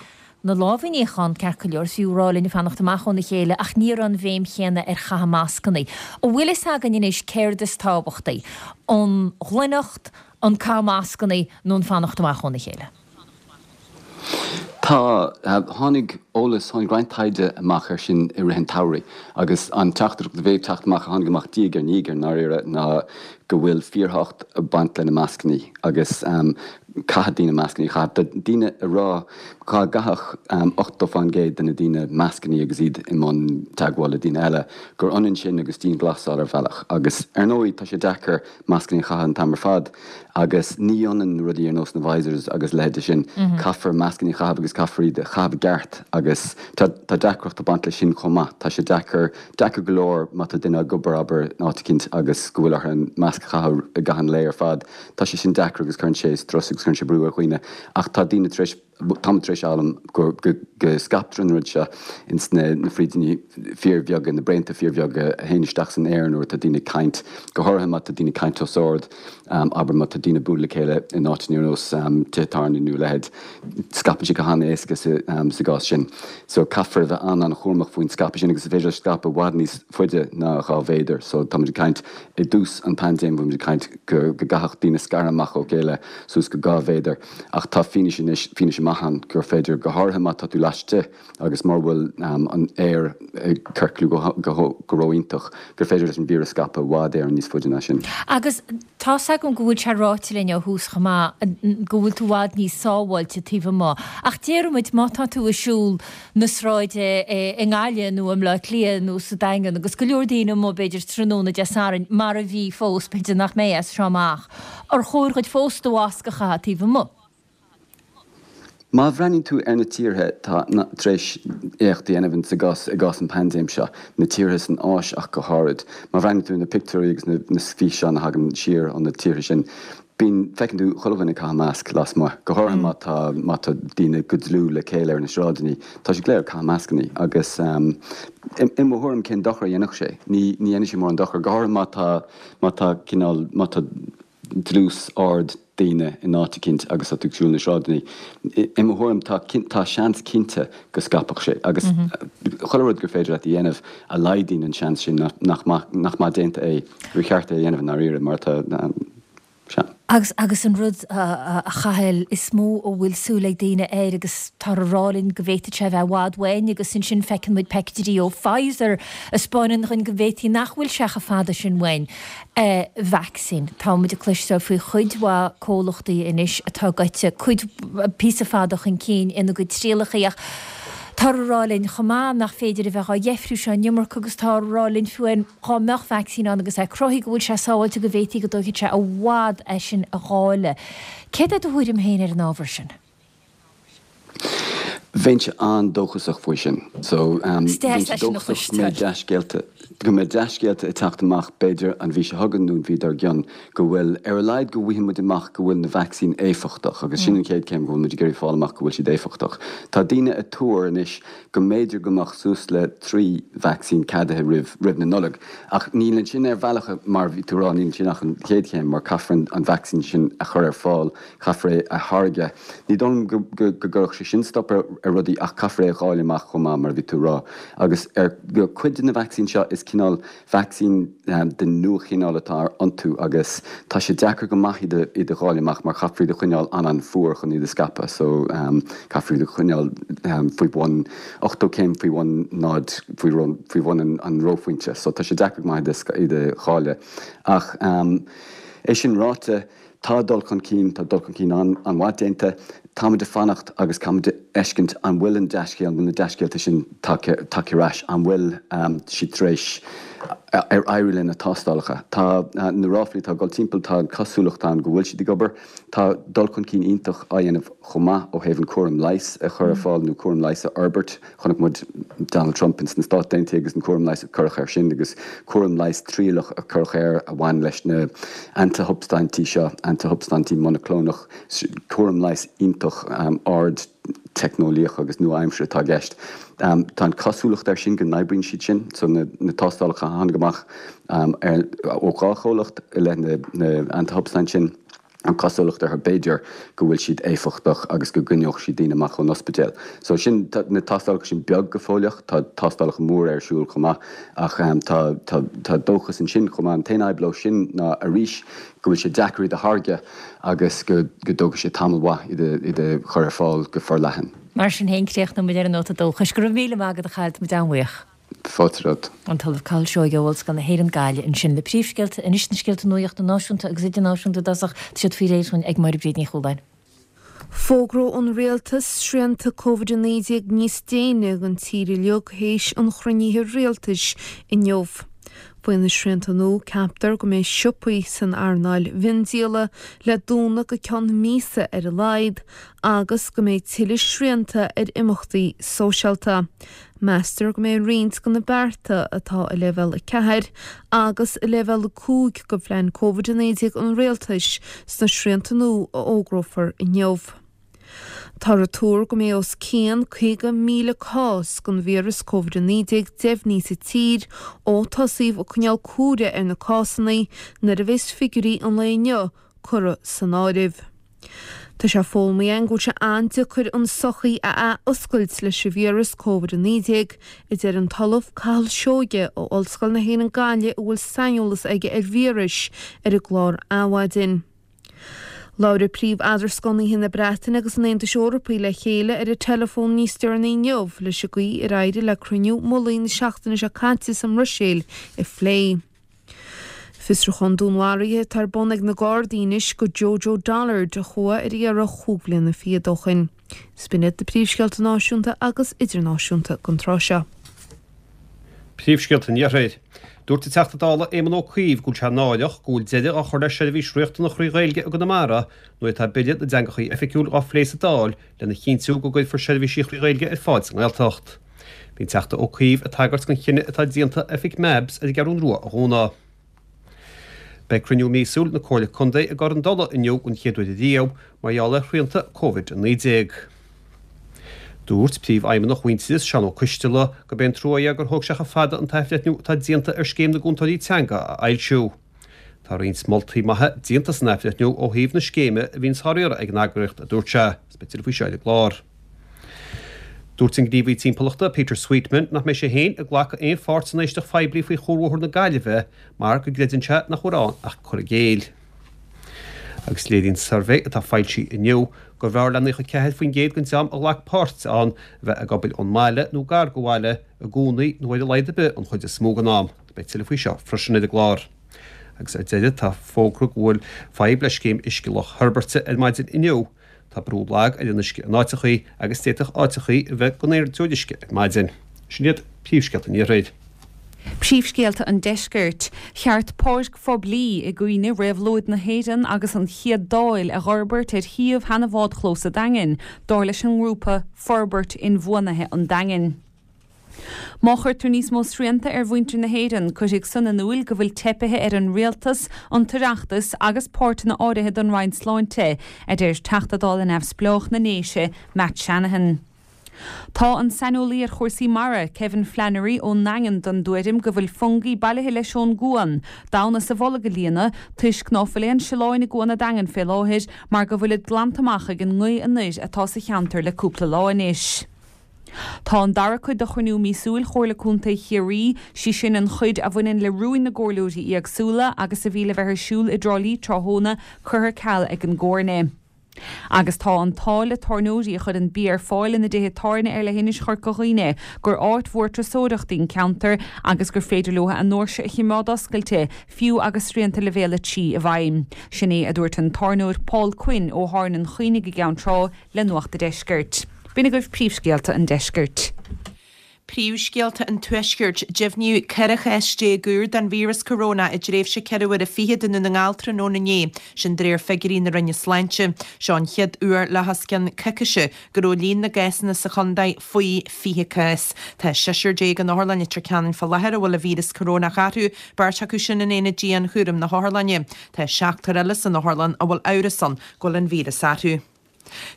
na lámha a níochán, ceart go leor, is bhíodh ag rá linn fanacht amach óna chéile ach ní raibh an bhéim chéanna ar chaitheamh mascannaí. An bhfuil fhios againn anois céard is tábhachtaí, an ghlaineacht, an caitheamh mascannaí nó an fanacht amach óna chéile? Tá. Tháinig eolas, tháinig roinnt taighde amach air sin i rith an tsamhraidh agus an teachtaireacht a bhí ag teacht amach, a tháinig amach diaidh ar ndiaidh i ndáiríre, ná go bhfuil fíorthábhacht ag baint le na mascannaí agus caithfidh daoine mascannaí a chaitheamh. Tá daoine ag rá dhá gcaithfeadh 80% de na daoine mascannaí agus iad i mbun teagmháil le daoine eile, gur ionann sin agus dianghlasáil ar bhealach. Agus ar ndóigh tá sé deacair mascannaí a chaitheamh an t-am ar fad agus ní ionann rudaí ar nós na visors agus a leithéid de sin. Caithfear mascannaí a chaitheamh agus caithfear iad a chaitheamh i gceart agus tá tá deacracht ag baint leis sin chomh maith. Tá sé deacair, deacair go leor má tá duine ag obair, abair, in áit eicínt agus go bhfuil orthu an masc a chaitheamh i gcaitheamh an lae ar fad. Tá sé sin deacair agus cuireann sé strus agus cuireann sé brú ar dhaoine ach tá daoine tar éis Táimid tar éis fhoghlaim go scaiptear an rud seo ins na frídíní fíorbheaga, na braonta fíorbheaga a théann isteach san aer nuair atá daoine ag caint, go háirithe má tá daoine ag caint os ard, abair má tá daoine ag bualadh le chéile in áiteanna ar nós tithe tábhairne nó a leithéid, scaipeann sé go han-éasca sa gcás sin. So caithfear a bheith an-an-chúramach faoin scaipeadh sin agus is féidir leis scaipeadh i bhfad níos faide ná 2 mhéadar. So táimid ag caint i dtús an paindéim, bhí muid ag caint go gcaithfeadh daoine scaradh amach ó chéile suas go 2 mhéadar. Ach tá fianaise anois, fianaise maith ann, gur féidir, go háirithe má tá tú laistigh agus mura bhfuil an aer ag ciorclú go ró-iontach, gur féidir leis an víreas scaipeadh i bhfad Éireann níos faide ná sin. Agus tá's agam go bhfuil sé ráite linn ó thús chomh maith go bhfuil tú i bhfad níos sábháilte taobh amuigh. Ach déarfaidh muid má tá tú ag siúl na sráide i nGaillimh nó i mBleá Cliath nó sa Daingean agus go leor daoine amuigh b'fhéidir tráthnóna Dé Sathairn, mar a bhí fós, b'fhéidir nach mbeidh as seo amach, Ar chóir dhuit fós do mhasc a chaitheamh taobh amuigh? Má bhreathnaíonn tú ar na tíortha atá tar éis éacht a dhéanamh sa gcás, i gcás an paindéim seo, na tíortha san Áis ach go háirid, má bhreathnaíonn tú ar na pictiúirí agus na físeáin a thagann siar ó na tíortha sin, bíonn, feiceann tú chuile dhuine ag caitheamh masc lasmuigh, go háirithe má tá, má tá daoine go dlúth le chéile ar na sráideanna, tá siad go léir ag caitheamh mascannaí agus i mo thuairim cén dochar a dhéanfadh sé? Ní, ní dhéanfaidh sé mórán dochar, go háirithe má tá, Má tá cineál, má tá dlús ard daoine in áit eicínt agus tá tú ag siúl na sráideanna, i mo thuairim tá, tá seans cinnte go scaipfeadh sé agus chuile rud gur féidir leat a dhéanamh a laghdaíonn an seans sin nach maith, nach maith déanta é, gur cheart é a dhéanamh i ndáiríre mar tá, sea. Agus, agus an rud, a Chathail, is mó a bhfuil súil ag daoine air agus táthar a rá linn go bhféadfadh sé a bheith i bhfad uainn agus ansin feiceann muid peictiúirí ó Pfizer a 'spáineann dhúinn go bhféadfaí nach bhfuil sé chomh fada sin uainn, vacsaín. Tá muid ag cloisteáil faoi chuid mhaith comhlachtaí anois atá gaibhte cuid, píosa fada chun cinn ina gcuid trialacha ach táthar a rá linn chomh maith nach féidir a bheith á dheifriú seo an iomarca agus táthar a rá linn fiú amháin Dhá mbeadh vacsaín ann agus é cruthaithe go bhfuil sé sábháilte go bhféadfaí go dtógfaidh sé i bhfad é sin a dháileadh. Céard é do thuairim féin ar an ábhar sin? Bheinnse an-dóchasach faoi sin. So, Is deas bheinnse é sin a dóchasach go mbeidh chloisteáil. dea-scéalta, go mbeidh dea-scéalta ag teacht amach b'fhéidir an mhí seo chugainn nó an mhí dár gcionn, go bhfuil, ar a laghad go bhfaighidh muid amach go bhfuil na vacsaín éifeachtach agus sin an chéad chéim, go bhfuil muid ag iarraidh fáil amach go bhfuil siad éifeachtach. Tá daoine ag tuar anois go mb'fhéidir go mbeadh suas le 3 vacsaín ceadaithe roimh roimh na Nollag. Ach níl ansin ar bhealach, mar a bhí tú a rá, níl ansin ach an chéad chéim mar caithfear an vacsaín sin a chur ar fáil, caithfear é a tháirgeadh. Ní dóigh liom go go gcuirfeadh sé sin stop ar ar rudaí ach caithfear é a dháileadh amach chomh maith, mar a bhí tú a rá. Agus ar cuid de na vacsaín seo is cineál Vacsaín den nua-chineál atá iontu agus tá sé deacair go maith iad a dháileadh amach mar caithfear iad a choinneáil an-an-fhuar chun iad a scaipeadh so caithfear iad a choinneáil faoi bhun 80 céim faoi bhun náid, faoi bhun an reophointe so tá sé deacair go maith iad a dháileadh. Ach é sin ráite, Tá dul chun cinn, tá dul chun cinn an-mhaith déanta. Táimid ag fanacht agus caithfimid a fheiscint an bhfuil an dea-scéal, an bhfuil na dea-scéalta sin tagtha ar ais, an bhfuil siad tar éis, ar éirigh le na tástálacha. Tá na ráflaí atá ag dul timpeall, tá an cosúlacht ann go bhfuil siad ag obair. Tá dul chun cinn iontach á dhéanamh chomh maith ó thaobh an cúram leighis a chur ar fáil nó cúram leighis a fhorbairt. Chonaic muid Donald Trump ins na Stáit Aontaithe agus an cúram leighis a cuireadh air sin agus cúram leighis trialach a cuireadh air a bhain leis na antashubstaintí seo, antashubstaintí monaclónach, cúram leighis iontach ard-teicneolaíoch agus nua-aimseartha atá i gceist. Tá an cosúlacht air sin go n-oibríonn siad sin, so na tástálacha a tháinig amach ó dhá chomhlacht i leith na antashubstaint sin, an cosúlacht orthu, b'fhéidir, go bhfuil siad éifeachtach agus go gcoinneodh siad daoine amach ón ospidéal. So sin, tá na tástálacha sin beag go fóilleach, tá tástálacha móra ar siúl chomh maith ach tá, tá, tá dóchas ansin chomh maith. An t-aon fhadhb leo sin ná arís go bhfuil sé deacair iad a tháirgeadh agus go, go dtógfaidh sé tamall mhaith iad a, iad a chur ar fáil go forleathan. Mar sin féin, críochnóidh muid ar an nóta dóchais. Go raibh míle maith agat a Chathail, tá muid an-bhuíoch. Fáilte romhat. An tOllamh Cathal Seoighe ó Ollscoil na hÉireann, Gaillimh, ansin le príomhscéalta anois na scéalta nuachta náisiúnta agus idirnáisiúnta i dtosach, tá siad faoi réir dúinn ag Máire Bríd Ní Chualáin. Fógróidh an Rialtas srianta Covid-19 níos déine don tír uilig théis an chruinnithe rialtais inniu. Faoi na srianta nua, ceaptar go mbeidh siopaí san earnáil mhiondíola le dúnadh go ceann míosa ar a laghad agus go mbeidh tuilleadh srianta ar imeachtaí sóisialta. Meastar go mbeidh roinnt de na bearta atá i Leibhéal 4 agus i Leibhéal 5 de phlean Covid-19 an Rialtais sna srianta nua a fhógrófar inniu. Táthar ag tuar go mbeidh os cionn 50,000 cás den víreas Covid-19 deimhnithe sa tír ó tosaíodh ag coinneáil comhaireamh ar na cásanna nuair a bheas figiúirí an lae inniu curtha san áireamh. Tá sé foghlamtha againn go bhfuil sé an-deacair an tsochaí a ath-oscailt leis an víreas Covid-19, a deir an tOllamh Cathal Seoighe ó Ollscoil na hÉireann Gaillimh a bhfuil saineolas aige ar víris, ar an gclár Adhmhaidin. Labhróidh príomh-eadrascánaithe na Breataine agus an Aontais Eorpaigh le chéile ar an teileafón níos deireanaí inniu leis an gcaoi ar éirigh le cruinniú mullaigh na seachtaine seo caite sa mBruiséil a phlé. Fiosrúchán dúnmharaithe atá ar bun ag na Gardaí anois do Jojo Dollard a chuaigh ar iarraidh chúig bhliana fichead ó shin. Is b'in iad na príomhscéalta náisiúnta agus idirnáisiúnta don tráth seo. Príomhscéalta an Iarthair. Dúirt an Teachta Dála Éamon Ó Cuív go bhfuil sé náireach go bhfuil deireadh á chur le seirbhís riachtanach thrí Ghaeilge i gConamara nuair atá Bille na dTeangachaí Oifigiúil á phlé sa Dáil lena chinntiú go gcuirfear seirbhísí thrí Ghaeilge ar fáil sa nGaeltacht. Bhí an Teachta Ó Cuív ag tagairt don chinneadh atá déanta oifig MABS ar an gCeathrún Rua a dhúnadh. Beidh cruinniú míosúil na Comhairle Contae i gCorn Dola inniu den chéad uair ariamh mar gheall ar shrianta Covid-19. Dúirt Príomhfheidhmeannach Mhuintearas, Seán Ó Coisteala, gurb é an trua é gur thóg sé chomh fada an t-athbhreithniú atá déanta ar scéim na gcúntóirí teanga a fhoilsiú. Tá roinnt moltaí maithe déanta san athbhreithniú ó thaobh na scéime a bhíonns á riaradh ag an eagraíocht, a dúirt sé. Is beidh tuilleadh faoi seo ar an gclár. Dúirt an gníomhaí timpeallachta Peter Sweetman nach mbeidh sé féin ag glacadh aon pháirt san éisteacht phoiblí faoi chuarbhóthar na Gaillimhe mar go gcreideann sé nach bhfuil ann ach cur i gcéill. Agus léiríonn suirbhé atá foilsithe inniu gurbh fhearr le 94% den dream a ghlac páirt ann a bheith ag obair ón mbaile nó gar do bhaile i gcónaí nó ar a laghad ar bith an chuid is mó den am. Beidh tuilleadh faoi seo freisin ar an gclár. Agus ar deireadh tá fógra go bhfuil fadhb le scéim uisce Loch Heirbeirte ar maidin inniu. Tá brú lag ar an uisce in áiteachaí agus d'fhéadfadh áiteachaí a bheith gan aon uisce ar maidin. Sin iad príomhscéalta an Iarthair. Príomhscéalta an Deiscirt. Cheart páirc phoiblí i gcuimhne réabhlóid na hÉireann agus an Chéad Dáil a dh'fhorbairt ar shuíomh sheana bhádchlós a' Daingin, dar leis an ngrúpa Forbairt Inbhuanaithe an Daingin. Má chuirtear níos mó srianta ar mhuintir na hÉireann, cuirfidh san in úil go bhfuil teipithe ar an Rialtas, an tOireachtas agus páirteanna áirithe den Roinn Sláinte, a deir Teachta Dála Neamhspleách na nDéise, Matt Shanahan. Tá an saineolaí ar chúrsaí mara, Kevin Flannery ón nDaingean den dtuairim go bhfuil Fungie bailithe leis ón gcuan, d'fhonn as a bholg a líonadh, toisc ná fuil aon sileáin i gCuan a' Daingin fé láthair mar go bhfuilid glanta amach ag an ngaoth anoir atá sa cheantar le cúpla lá anois. Tá an dara cuid de chruinniú míosúil Chomhairle Contae Chiarraí, sí sin an chuid a bhaineann le rúin na gcomhairleoirí éagsúla agus a bhí le bheith ar siúl i dTrá Lí tráthnóna, curtha ar ceal ag an gComhairle. Agus tá an t-ádh le tábhairneoirí a chuireann bia ar fáil ina dtithe tábhairne ar leithinis Chorca Dhuibhne gur áit mhór turasóireachta í an ceantar agus gur féidir leo a ndoirse a chimeád oscailte fiú agus srianta Leibhéal 3 i bhfeidhm. Sin é a dúirt an tábhairneoir Paul Quinn ó Thábhairne an Choinnigh i gCeann Trá le Nuacht a' Deiscirt. B'in agaibh príomhscéalta an deiscirt. Príomhscéalta an Tuaiscirt, Deimhníodh 14 chás úr den víreas corónach i dtréimhse 4 uaire fichead i nDún na nGall tráthnóna inné, sin de réir figiúirí na Roinne Sláinte. Seo an chéad uair le hos cionn coicíse go raibh líon na gcásanna sa chontae faoi 20 cás. Tá seisear déag in Otharlann Leitir Ceanainn fá láthair a bhfuil an víreas corónach orthu, beirt acu sin in aonad dianchúraim na hotharlainne. Tá seachtar eile san otharlann a bhfuil amhras ann go bhfuil an víreas orthu.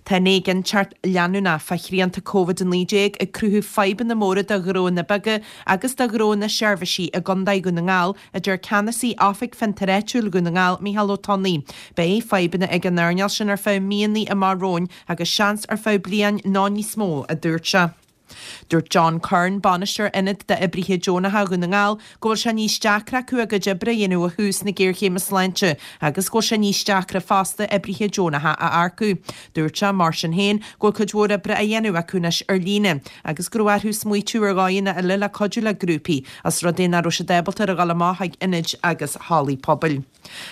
Tá an éiginnteacht leanúnach fá shrianta Covid-19 ag cruthú fadhbanna móra do ghnóanna beaga agus do ghnóanna seirbhísí i gContae Dhún na nGall, a deir Ceannasaí Oifig Fiontair Áitiúil Dhún na nGall, Micheál Ó Tonnaigh. Beidh fadhbanna ag an earnáil sin ar feadh míonna amach romhainn agus seans ar feadh bliain nó níos mó, a dúirt sé. Dúirt John Curran, bainisteoir Ionad d'Oibrithe Deonacha Dhún na nGall, go bhfuil sé níos deacra acu a gcuid oibre a dhéanamh ó thús na géarchéime sláinte agus go bhfuil sé níos deacra fosta oibrithe deonacha a earcú. Dúirt sé, mar sin féin, go bhfuil cuid mhór oibre á dhéanamh acu anois ar líne agus go raibh orthu smaoitiú ar dhóigheanna eile le cuidiú le grúpaí os rud é nach raibh siad ábalta a dhul amach chuig ionaid agus hallaí pobail.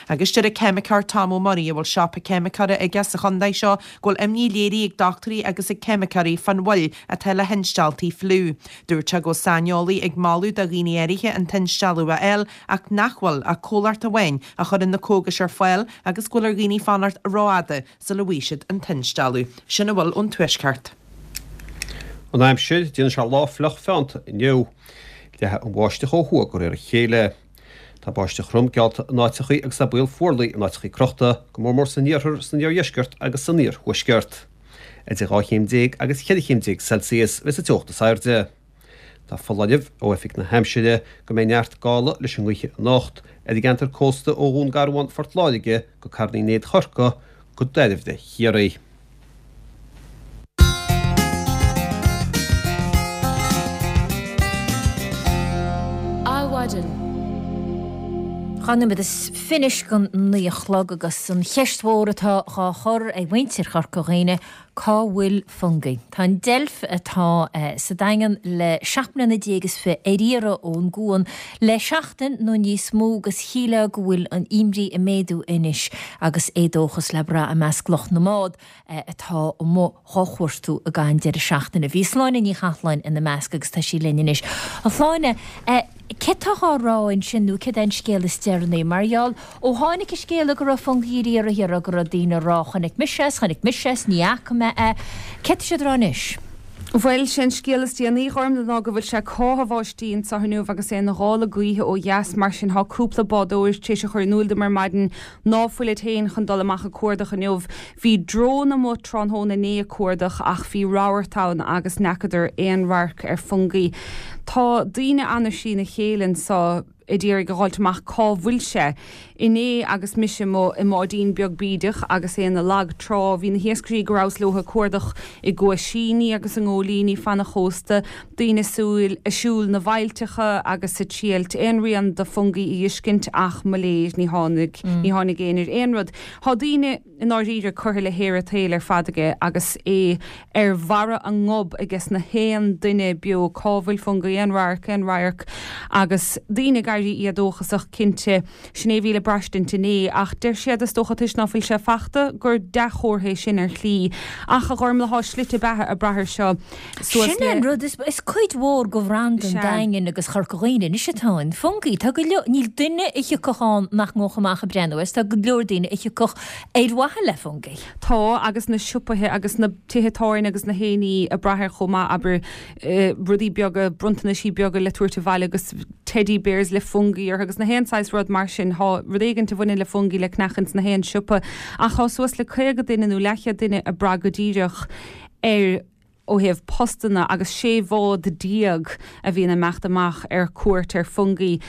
Agus deir an ceimiceoir Tom Ó Muirí, a bhfuil siopa ceimiceora aige sa chontae seo, go bhfuil imní léirithe ag dochtúirí agus ag ceimiceoirí fán mhoill atá le hinstealltaí fliú. Dúirt sé go bhfuil saineolaí ag moladh do dhaoine áirithe an t-instealladh a fháil ach nach bhfuil ach comhlacht amháin a chuireann na cógais ar fáil agus go bhfuil ar dhaoine fanacht rófhada sula bhfaighidh siad an t-instealladh. Sin a bhfuil ón Tuaisceart. An aimsir, déanfaidh sé lá fliuch feannta inniu. Leathfaidh an bháisteach ó thuaidh de réir a chéile. Tá báisteach throm geallta in áiteachaí agus tá baol fuarlaigh in áiteachaí crochta, go mór mór san iarthar, san iardheisceart agus san iarthuaisceart. Idir 12 chéim agus 14 chéim Celsius a bheas an teocht is airde. Tá foláireamh ó Oifig na hAimsire go mbeidh neart gála leis an ngaoth anocht ar an gceantar cósta ó Dhún Garbhán, Phort Láirge go Carn Uí Néid Chorcaí go Dairbhre Chiarraí. Adhmhaidin. 2 nóiméad is fiche don 9 a chlog agus an cheist mhór atá dhá chur ag muintir Chorca Dhuibhne, cá bhfuil Fungie? Tá an deilf atá sa Daingean le 17 mbliana is fi ar iarraidh ón gcuan le seachtain nó níos mó agus shílfeá go bhfuil an imní ag méadú anois agus éadóchas le brath i measc lucht na mbád. atá amuigh dhá chuartú i gcaitheamh an deireadh seachtaine. Bhí Sláine Ní Chathalláin ina measc agus tá sí linn anois. A Shláine, céard tá dhá rá ansin nó céard é an scéal is deireanaí? Mar gheall, ó tháinig an scéala go raibh Fungie ar iarraidh thiar go raibh daoine ag rá chonaic mise é 's chonaic mise é 's ní fhaca mé é. Céard tá siad ag rá anois? Bhuel, sé an scéal is déanaí, a Ghormfhlaith, ná go bhfuil sé ag cáitheadh báistí anseo inniu agus é ina ghála gaoithe ó dheas, mar sin thá cúpla bádóir tar éis a chur in iúl dom ar maidin ná fuilid féin chun dul amach ag cuardach inniu. Bhí drón amuigh tráthnóna inné ag cuardach ach bhí rabharta ann agus n'fheacadar aon radharc ar Fungie. Tá daoine ana thrína chéile anseo. A d'iarraidh a dh'fháilt amach cá bhfuil sé. Inné agus mise amuigh i mbáidín beag bídeach agus é ina lag trá, bhí na hiascairí go rabhas leo ag cuardach i gcuaisíní agus i ngóilíní fan an chósta, daoine súil ag siúl na bhfaillteacha agus ag triailt aon rian de Fungie a dh'fheiscint ach mo léir ní tháinig, ní tháinig éinne ar aon rud. Thá daoine. i ndáiríre, curtha le haer an tsaoil ar fad aige agus é ar bharra a ngob aiges na haon duine beo cá bhfuil Fungie, aon radharc, aon radharc agus daoine ag éirí éadóchasach, cinnte. Sin é a bhí le braistint inné ach deir siad, is dócha toisc ná fuil sé fachta, gur dea-chomhartha é sin ar shlí. Ach, a Ghormlaith, thá slite beatha ag brath air seo suas Sin é an rud, is cuid mhór de bhranda an Daingin agus Chorca Dhuibhne anois atá in Fungie. Tá go leor, níl duine a thiocfadh ann nach ngabhfadh amach ag breathnú air, is tá go leor daoine a thiocfadh ar mhaithe le Fungie. Tá, agus na siopaithe agus na tithe tábhairne agus na haon ní ag brath air chomh maith, abair, rudaí beaga, bronntanaisí beaga le tabhairt abhaile agus teddy bears le Fungie orthu agus na haon saghas rud mar sin. Tá rud éigint a bhaineann le Fungie le ceannach ins na haon siopa ach tá suas le 50 duine nó leathchéad duine ag brath go díreach ar ó thaobh postanna agus 16 bhád a bhíonn ag imeacht amach ar cuairt ar Fungie.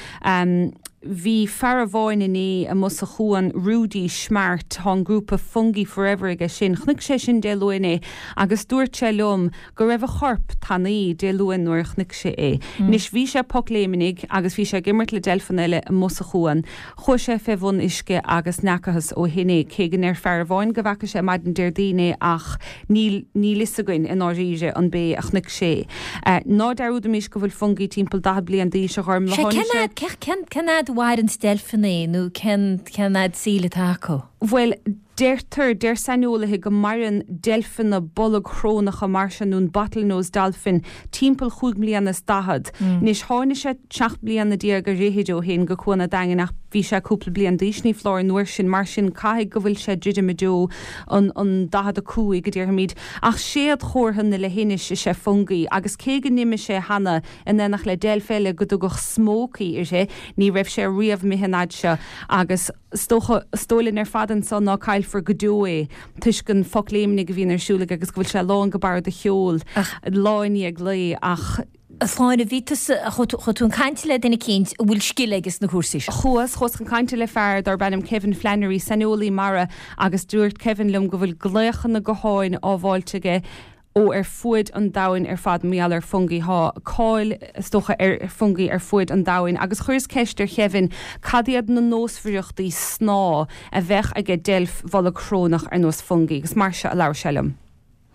Bhí fear amháin inné amuigh sa chuan, Rudy Smart, tá an grúpa Fungie Forever aige sin, chonaic sé sin Dé Luain é agus dúirt sé liom go raibh a chorp tanaí Dé Luain nuair a chonaic sé é. Anois bhí sé pocléimnigh agus bhí sé ag imirt le deilfeanna eile amuigh sa chuan. Chuaigh sé fé bhun uisce agus n'fheacathas ó shin é, cé go ndeir fear amháin go bhfeaca sé maidin Déardaoin é ach níl, níl fhios againn i ndáiríre an b'é a chonaic sé é. Ná dearúdaimis go bhfuil Fungie timpeall 40 bliain d'aois, a Ghormlaith. Sea, cén fhad, cén, cén fhad a mhaireanns deilfeanna nó cén, cén fhad saoil atá acu? Bhuel, deirtear, deir saineolaithe go maireann deilfeanna bolgshrónacha mar seo, nó an bottlenose dolphin, timpeall chúig mbliana is daichead. Anois, tháinig sé seacht mbliana déag ar fhichid ó shin go Cuan a' Daingin ach bhí sé cúpla bliain d'aois, ní foláir, an uair sin, mar sin caithfidh go bhfuil sé druidim i dtreo an, an 45, a déarfaimid. Ach séadchomhartha na leithinise is ea Fungie agus cé go n-imigh sé cheana in éineacht le deilf eile go dtugadh Smokey uirthi, ní raibh sé riamh imithe an fhad seo agus. Is dócha, is dóigh linn ar fad anso ná caillfear go deo é, toisc an phocléimnigh a bhíonn ar siúl aige agus go bhfuil sé lán go barra de sheol lá i ndiaidh lae, ach. A Shláine, bhí tusa, chuaigh tú chun cainte le duine eicínt a bhfuil scil aige sna cúrsaí seo. Chuas, chuas chun cainte le fear darb ainm Kevin Flannery, saineolaí mara, agus dúirt Kevin liom go bhfuil glaochanna gutháin á bhfáilt aige ó ar fuaid an domhain ar fad mar gheall ar Fungie. Thá cáil, is dócha, ar Fungie ar fuaid an domhain agus chuireas ceist ar Chevin cad iad na nósmhaireachtaí snámha a bheadh aige deilf bholgshrónach ar nós Fungie agus mar seo a labhair sé liom.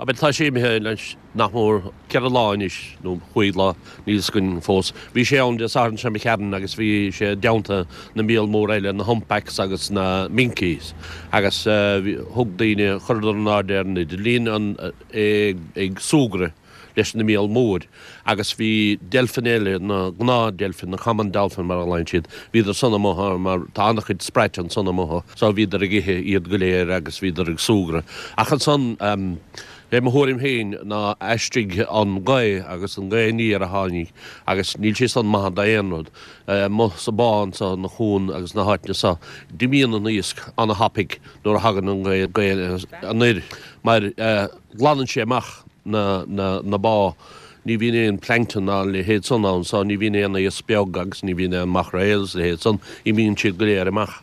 Abair, tá sé imithe anois nach mór ceithre lá anois, nó chúig lá, níl fhios againn fós. Bhí sé ann Dé Sathairn seo imigh tharainn agus bhí sé i dteannta na míol mór eile, na humpbacks agus na minkies, agus thug daoine, chuireadar in airde ar an idirlíon an, é ag súgradh leis na míol mór agus bhí deilfeanna eile, na gnáth-deilfeanna, na common dolphin mar a ghlaonn siad, bhíodar san amuigh mar tá an-chuid sprait ansan amuigh so bhíodar ag ithe iad go léir agus bhíodar ag súgradh. Ach ansan, é mo thuairim féin ná aistrigh an ghaoth agus an ghaoth aniar a tháinig agus níl sé san maith d'aon rud. Amuigh sa bá anso, na cuan agus na háiteanna so, d'imíonn an iasc ana-thapaidh nuair a thagann an ghaoth anoir mar glanann sé amach na bá. Ní bhíonn aon plankton ná a leithéid san ann so ní bhíonn aon iasc beag agus ní bhíonn aon maichréal is a leithéid san, imíonn siad go léir amach.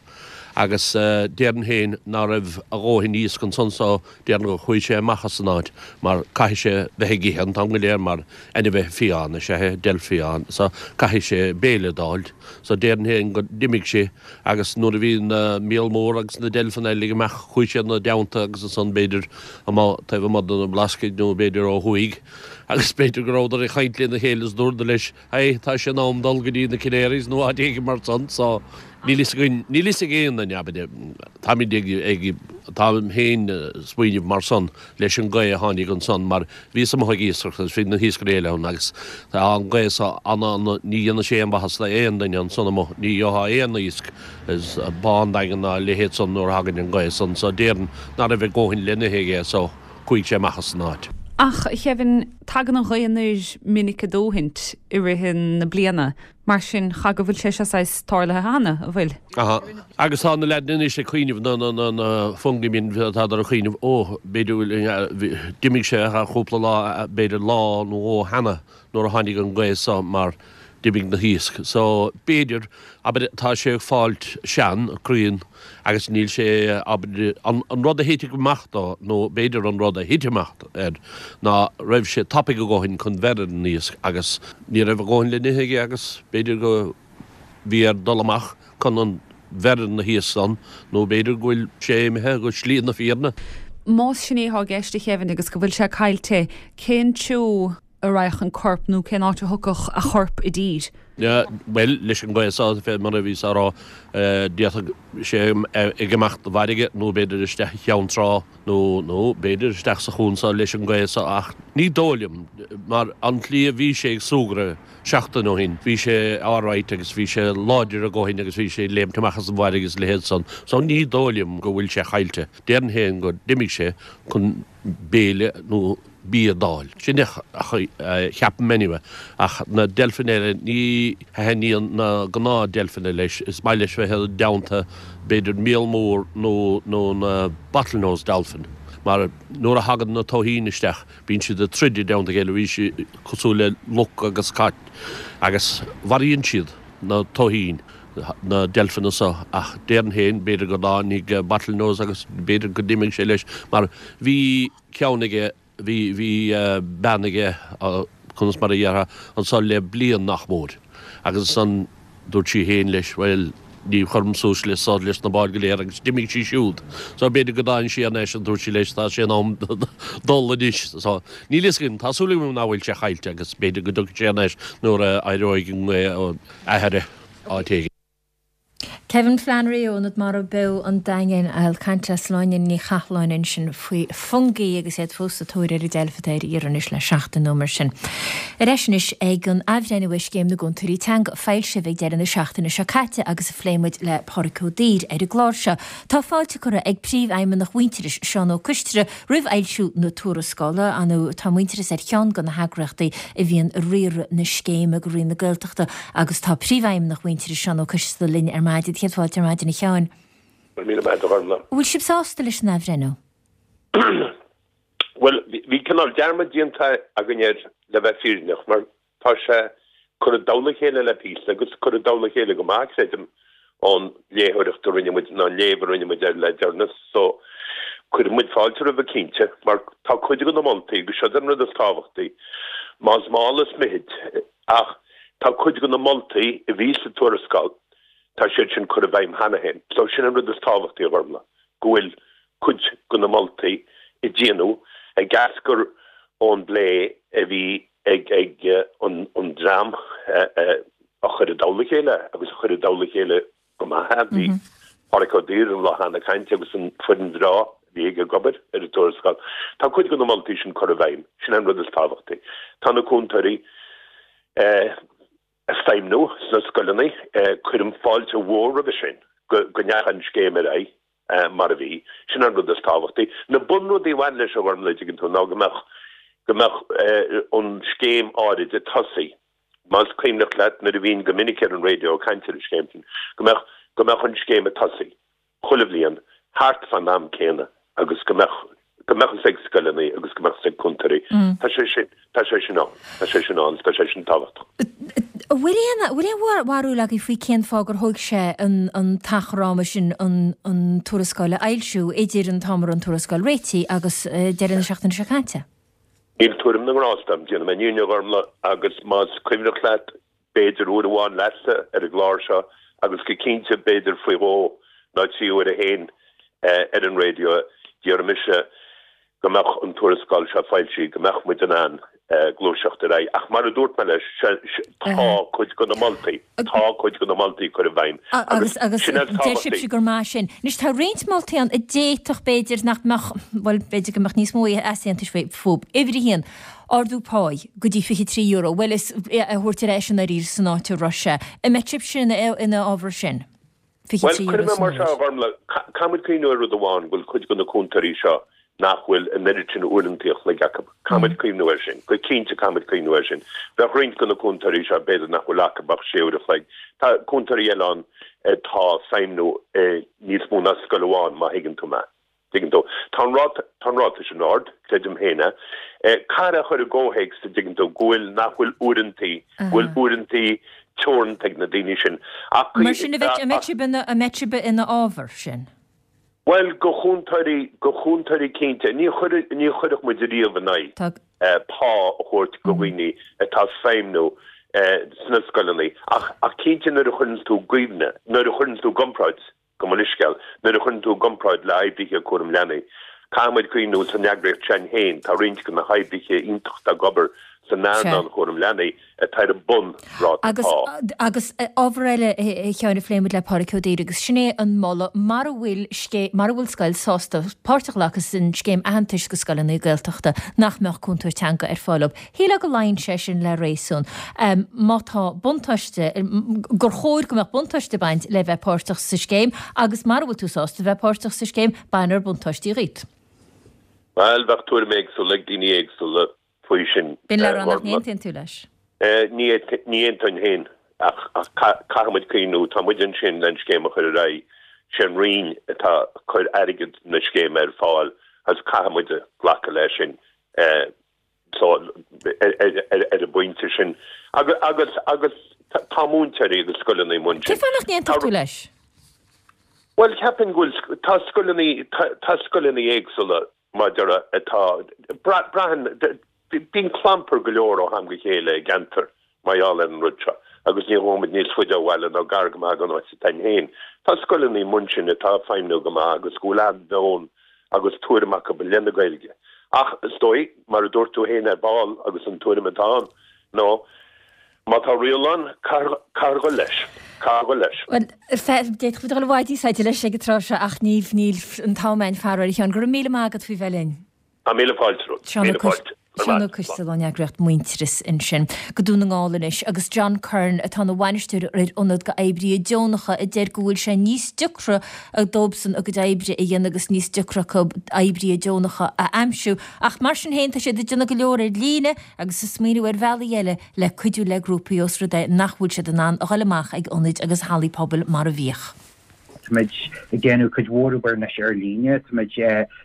Agus déarfainn féin ná raibh a dhóthain iasc ansan so déarfainn gur chuaigh sé amach as an áit mar caithfidh sé bheith ag ithe an t-am go léir mar ainmhithe fiáin is ea é, deilf fiáin, so caithfidh sé béile d'fháilt. So déarfainn féin go d'imigh sé Agus nuair a bhí na míol mór agus na deilfeanna uilig amach chuaigh sé ina dteannta agus ansan b'fhéidir amuigh taobh amuigh de na Blascaeid nó b'fhéidir ó thuaidh agus b'fhéidir go rabhadar ag caint lena chéile is dúradar leis Hey, tá sé in am dul go dtí na Canaries nó áit éigin mar san so níl fhios againn, níl fhios ag aon duine abair táimid ag, ag, táim féin smaoineamh mar san leis an gaoth a tháinig ansan mar Bhíos amuigh ag iascaireacht agus bhí na hiascairí eile ann agus tá an ghaoth so ana, ní dhéanadh sé aon mhaitheas d'aon duine ansan amuigh, ní gheofá aon iasc i Bá an Daingin ná a leithéid san nuair a thagann an ghaoth san so déarfainn ná raibh a dhóthain le n-ithe aige so chuaigh sé amach as an áit. Ach, a Kevin, tagann an ghaoth anoir minic a dóthaint i rith na bliana. Mar sin, cha go bhfuil sé seo saghas tarlaithe cheana, an bhfuil? Aha. Agus tá na leaideanna anois ag cuimhneamh, na, na, na, na Fungie men, tádar ag cuimhneamh, ó, b'fhéidir go bhfuil, d'imigh sé thar chúpla lá, b'fhéidir lá nó dhó cheana nuair a tháinig an ghaoth so mar. D'imigh na hiasc. So, b'fhéidir, abair, tá sé ag fáilt sean, cruinn, agus níl sé, abair, an rud a thitfeadh amach dó, nó b'fhéidir an rud a thit amach air, ná raibh sé tapaidh a dhóthain chun bheith ar an iasc agus ní raibh a dhóthain le n-ithe aige agus b'fhéidir go bhí air dul amach chun an bheith ar na hiasc san, nó b'fhéidir go bhfuil sé imithe go slí na fírinne. Más sin é atá i gceist, a Kevin, agus go bhfuil sé caillte, cén treo a raghadh an corp nó cén áit a thiocfadh a chorp i dtír? Bhuel, leis an ngaoth so, fé mar a bhíos á rá, d'fhéadfadh sé ag imeacht i bhfarraige nó b'fhéidir isteach i gCeann Trá nó, nó b'fhéidir isteach sa chuan so leis an ngaoth so ach ní dóigh liom mar an tslí a bhí sé ag súgradh seachtain ó shin, bhí sé alright agus bhí sé láidir a dhóthain agus bhí sé ag léimt amach as an bhfarraige is a leithéid san so ní dóigh liom go bhfuil sé caillte. Déarfainn féin go d'imigh sé chun béile nó bia d'fháil. Sin a cheapaim anyway. Ach na deilfeanna eile, ní thaitníonn na gnáth deilfeanna leis. Is maith leis bheith i dteannta b'fhéidir míol mór nó nó na bottlenose dolphin. Mar nuair a thagann na tobhaithín isteach, bíonn siad ag troid i dteannta a chéile, bíonn siad cosúil le luch agus cat agus mharaíonn siad na tobhaithín, na deilfeanna so. Ach déarfainn féin, b'fhéidir go dtáinig bottlenose agus b'fhéidir go d'imigh sé leis mar bhí ceann aige, bhí, bhí bean aige, conas mar a dhéarfá, anso le bliain nach mór. Agus ansan dúirt sí féin leis, bhuel, ní chuirim suas leis so, leis na báid go léir agus d'imigh sí siúd. So b'fhéidir go dtáinig sí thar n-ais agus dúirt sí leis, tá sé in am dul anois. So níl fhios againn, tá súil agam nach bhfuil sé caillte agus b'fhéidir go dtiocfaidh sé thar n-ais nuair a éireoidh an ghaoth athair áit éigin. Kevin Flannery ó Ionad Mara Beo an Daingin ag caint le Sláine Ní Chathalláin ansin faoi Fungie agus iad fós sa tóir ar an deilf atá ar iarraidh anois le seachtain nó mar sin. Ar ais anois ag an athbhreithniú ar Scéim na gCúntóirí Teanga a foilsíodh ag deireadh na seachtaine seo caite agus a phléigh muid le Pádraig Ó Duibhir ar an gclár seo. Tá fáilte curtha ag Príomhfheidhmeannach Mhuintearais, Seán Ó Coistre, roimh fhoilsiú na tuarascála. Ar ndóigh, tá Muintearas ar cheann de na heagraíochtaí a bhíonn ag riaradh na scéime do Roinn na Gaeltachta agus tá Príomhfheidhmeannach Mhuintearais, Seán Ó Coistre linn ar maidin. Céad fáilte ar maidin, a Sheáin. Go raibh míle maith agat, a Ghormfhlaith. An bhfuil sibh sásta leis an athbhreithniú? Bhuel, bhí cineál dearmad déanta againn air le bheith fírinneach, mar Tá sé curtha i dtoll a chéile le píosa agus curtha i dtoll a chéile go maith, creidim, ón léitheoireacht a rinne muid, nó an léamh a rinne muid air le deireanas. So, cuireann muid fáilte roimhe cinnte, mar tá cuid de na moltaí, agus siod an rud is tábhachtaí, más mall is mithid, ach tá cuid de na moltaí a bhí sa tuarascáil, tá siad sin curtha i bhfeidhm cheana féin. So, sin an rud is tábhachtaí, a Ghormfhlaith, go bhfuil cuid de na moltaí a déanadh ag eascair ón bplé a bhí ag an dream a chuir i dtoll a chéile agus a chuir i dtoll a chéile go maith é. Bhí Pádraig Ó Duibhir an lá cheana ag caint agus an foireann bhreá a bhí aige ag obair ar an tuarascáil. Tá cuid de na moltaí sin curtha i bhfeidhm. Sin an rud is tábhachtaí. Tá na cúntóirí ag feidhmniú sna scoileanna. Cuirim fáilte mhór roimhe sin go ndeachaigh an scéim ar aghaidh. mar a bhí. Sin an rud is tábhachtaí. Na bunrudaí a bhain leis, a Ghormfhlaith, dtuigeann tú, ná go mbeadh, go mbeadh an scéim áirid ag tosaí. Más cuimhneach leat nuair a bhínn go minic ar an raidió ag caint ar an scéim sin, go mbeadh, go mbeadh an scéim ag tosaí chuile bhliain thart fán am céanna agus go mbeadh, go mbeadh fhios ag scoileanna agus go mbeadh fhios ag cúntóirí. Tá sé sin, tá sé sin ann, tá sé sin ann agus tá sé sin tábhachtach. An bhfuil aon, an bhfuil aon bharúil agaibh faoi cén fáth gur thóg sé an, an t-achar ama sin an, an tuarascáil a fhoilsiú, idir an t-am a raibh an tuarascáil réitithe agus deireadh na seachtaine seo caite? Níl tuairim na ngrást agam, déanfaidh mé an fhírinne a Ghormfhlaith, agus más cuimhneach leat, b'fhéidir uair amháin leatsa ar an gclár seo agus go cinnte b'fhéidir faoi dhó nó 3 huaire féin ar an raidió, d'iarr mise go mbeadh an tuarascáil seo foilsithe, go mbeadh muid in ann gluaiseacht ar aghaidh. Ach mar a dúirt mé leis, tá cuid de na moltaí, tá cuid de na moltaí curtha i bhfeidhm agus agus sin an deir sibhse gur maith sin. Anois tá roinnt moltaí ann a d'fhéadfadh b'fhéidir nach mbeadh, bhuel b'fhéidir go mbeadh níos mó easaontais fúthu. Uimhir a haon, Ardú páí go dtí €23, bhuel is é a thabhairt ar ais i ndáiríre san áit a raibh sé. An mbeadh sibhse ina fhábhar sin? €23 Bhuel, cuirfidh mé mar seo, a Ghormfhlaith, caithfidh muid cuimhniú ar rud amháin, go bhfuil cuid de na cúntóirí seo nach bhfuil an oiread sin uaireantaí a chloig acu. Caithfidh muid cuimhniú air sin. Go cinnte caithfidh muid cuimhniú air sin. Bheadh roinnt de na cúntóirí seo, b'fhéidir nach bhfuil acu ach sé uair a chloig. Tá cúntóirí eile ann atá ag feidhmniú i níos mó ná scoil amháin, má thuigeann tú mé. Tuigeann tú? Tá an ráta, tá an ráta sin ard, creidim féin é. Caithfear é a chur i gcomhthéacs, a dtuigeann tú, go bhfuil, nach bhfuil uaireantaí, go bhfuil uaireantaí teoranta ag na daoine sin. Ach, Mar sin, an mbeidh, an mbeidh sibh ina, an mbeidh sibh ina fhábhar sin? Bhuel, go chúntóirí, go chúntóirí cinnte. Ní chuir, ní chuirfeadh muid ariamh in aghaidh pá a thabhairt go dhaoine atá ag feidhmniú sna scoileanna. Ach, ach cinnte nuair a chuireann tú i gcuimhne, nuair a chuireann tú i gcomparáid, Gabh mo leithscéal, nuair a chuireann tú i gcomparáid le oibrithe cúram leanaí, caithfidh muid cuimhniú san eagraíocht s'againn féin, tá roinnt de na hoibrithe iontacha atá ag obair san earnáil chúram leanaí atá ar an bunráta Agus, pá. agus ábhar eile, a Sheáin, a phléigh muid le Pádraig Ó Duibhir agus sin é an moladh, mara bhfuil scé, mara bhfuil scoil sásta páirt a ghlacadh san scéim aitheantais go scoileanna Gaeltachta, nach mbeadh cúntóir teanga ar fáil dóibh. Shílfeá go luíonn sé sin le réasún. Má tá buntáiste, gur chóir go mbeadh buntáiste ag baint le bheith páirteach sa scéim agus mara bhfuil tú sásta bheith páirteach sa scéim, bainfear buntáistí dhíot. Bhuel, bheadh tuairim éagsúla ag daoine éagsúla faoi sin. B'in le rá nach n-aontaíonn tú leis? Ní aontóinn féin ach caithfidh muid cuimhniú, tá muid ansin le an scéim a chur ar aghaidh, sé an Roinn atá ag cur airgead na scéime ar fáil agus caithfidh muid glacadh leis sin. So, ar an bpointe sin, agus, agus tá múinteoirí agus scoileanna amuigh ansin. Cén fáth nach n-aontódh tú leis? Bhuel, cheapfainn go bhfuil, tá scoileanna, tá scoileanna éagsúla mar a déarfá atá, braitheann, bíonn clampar go leor ó am go chéile i gceantar mar gheall ar an rud seo agus ní ghabhfaidh muid níos faide ó bhaile ná gar go maith don áit atá againn féin. Tá scoileanna amuigh ansin atá ag feidhmniú go maith agus go bhfuil an-mheon agus tuairim acu i leith na Gaeilge. Ach is dóigh, mar a dúirt tú féin ar ball, agus an tuairim atá ann, ná má tá riail ann, caithfear dhul leis. Caithfear dhul leis. Bhuel, d'fhéadfadh muid dul i bhfad níos faide leis ag an tráth seo ach níl an t-am againn faraor, a Sheáin. Go raibh míle maith agat faoi bheith linn. Tá míle fáilte romhat. Seán Ó Míle fáilte. Seán Ó Coistealbha ón eagraíocht Muintearas ansin. Go Dún na nGall anois agus John Curran atá ina bhainisteoir ar ionad go oibrithe deonacha a deir go bhfuil sé níos deacra dóibhsan a gcuid oibre a dhéanamh agus níos deacra acu oibrithe deonacha a aimsiú. Ach mar sin féin tá siad ag déanamh go leor ar líne agus ag smaoineamh ar bhealaí eile le cuidiú le grúpaí os rud é nach bhfuil siad in ann a dhul amach ag ionaid agus hallaí pobail mar a bhíodh. Táimid ag déanamh cuid mhór obair anois ar líne, táimid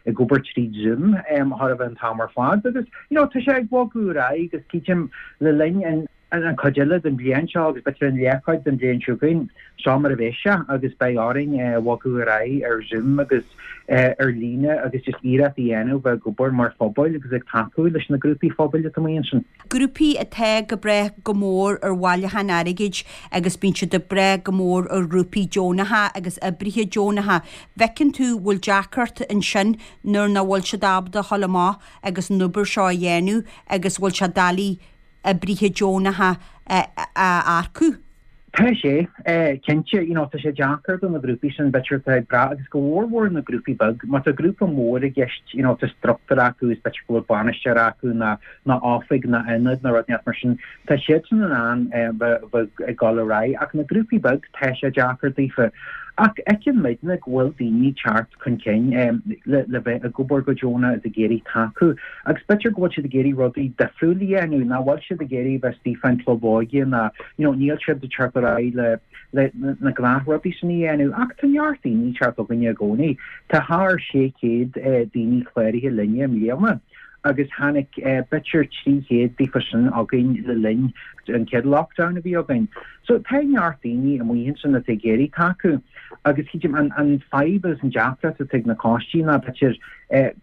ag obair tríd Zoom chóir a bheith an t-am ar fad agus you know tá sé ag bogadh ar aghaidh agus creidim le linn an an chuid eile den bhliain seo agus b'fhéidir an leathchuid den bhliain seo chugainn, seo mar a bheidh sé agus beidh orainn bogadh ar aghaidh ar Zoom agus ar líne agus just iarracht a dhéanamh bheith ag obair mar phobail agus ag tacú leis na grúpaí phobail atá amuigh ansin. Grúpaí atá ag brath go mór ar bhailiúchán airgid agus bíonn siad ag brath go mór ar ghrúpaí deonacha agus oibrithe deonacha. Bhfeiceann tú bhfuil deacracht ansin nuair nach bhfuil siad ábalta a dhul amach agus an obair seo a dhéanamh agus bhfuil sé doiligh oibrithe deonacha a earcú. Tá sé, cinnte, you know, tá sé deacair do na grúpaí sin, b'fhéidir atá ag brath, agus go mhórmhór na grúpaí beag, má tá grúpa mór i gceist, you know, tá struchtúr acu is b'fhéidir go bhfuil bainisteoir acu nó nó oifig nó ionad nó rud inteacht mar sin, tá siadsan in ann bheith bheith ag dul ar aghaidh, ach na grúpaí beag, tá sé deacair daofa. Ach fheiceann muidne go bhfuil daoine ag teacht chun cinn le le bheith ag obair go deonach is ag iarraidh tacú, agus b'fhéidir go bhfuil siad ag iarraidh rudaí difriúil a dhéanamh, nach bhfuil siad ag iarraidh bheith istigh fán club óige ná you know, níl siad ag teacht ar aghaidh le, le na gnáthrudaí sin a dhéanamh ach tá neart daoine ag teacht chugainne i gcónaí. Tá thar 600 daoine cláraithe linne i mbliana agus tháinig b'fhéidir 300 daofa sin chugainn le linn an chéad lockdown a bhí againn. So tá neart daoine amuigh ansin atá ag iarraidh tacú agus creidim an, an fadhb agus an deacracht atá ag na coistí ná b'fhéidir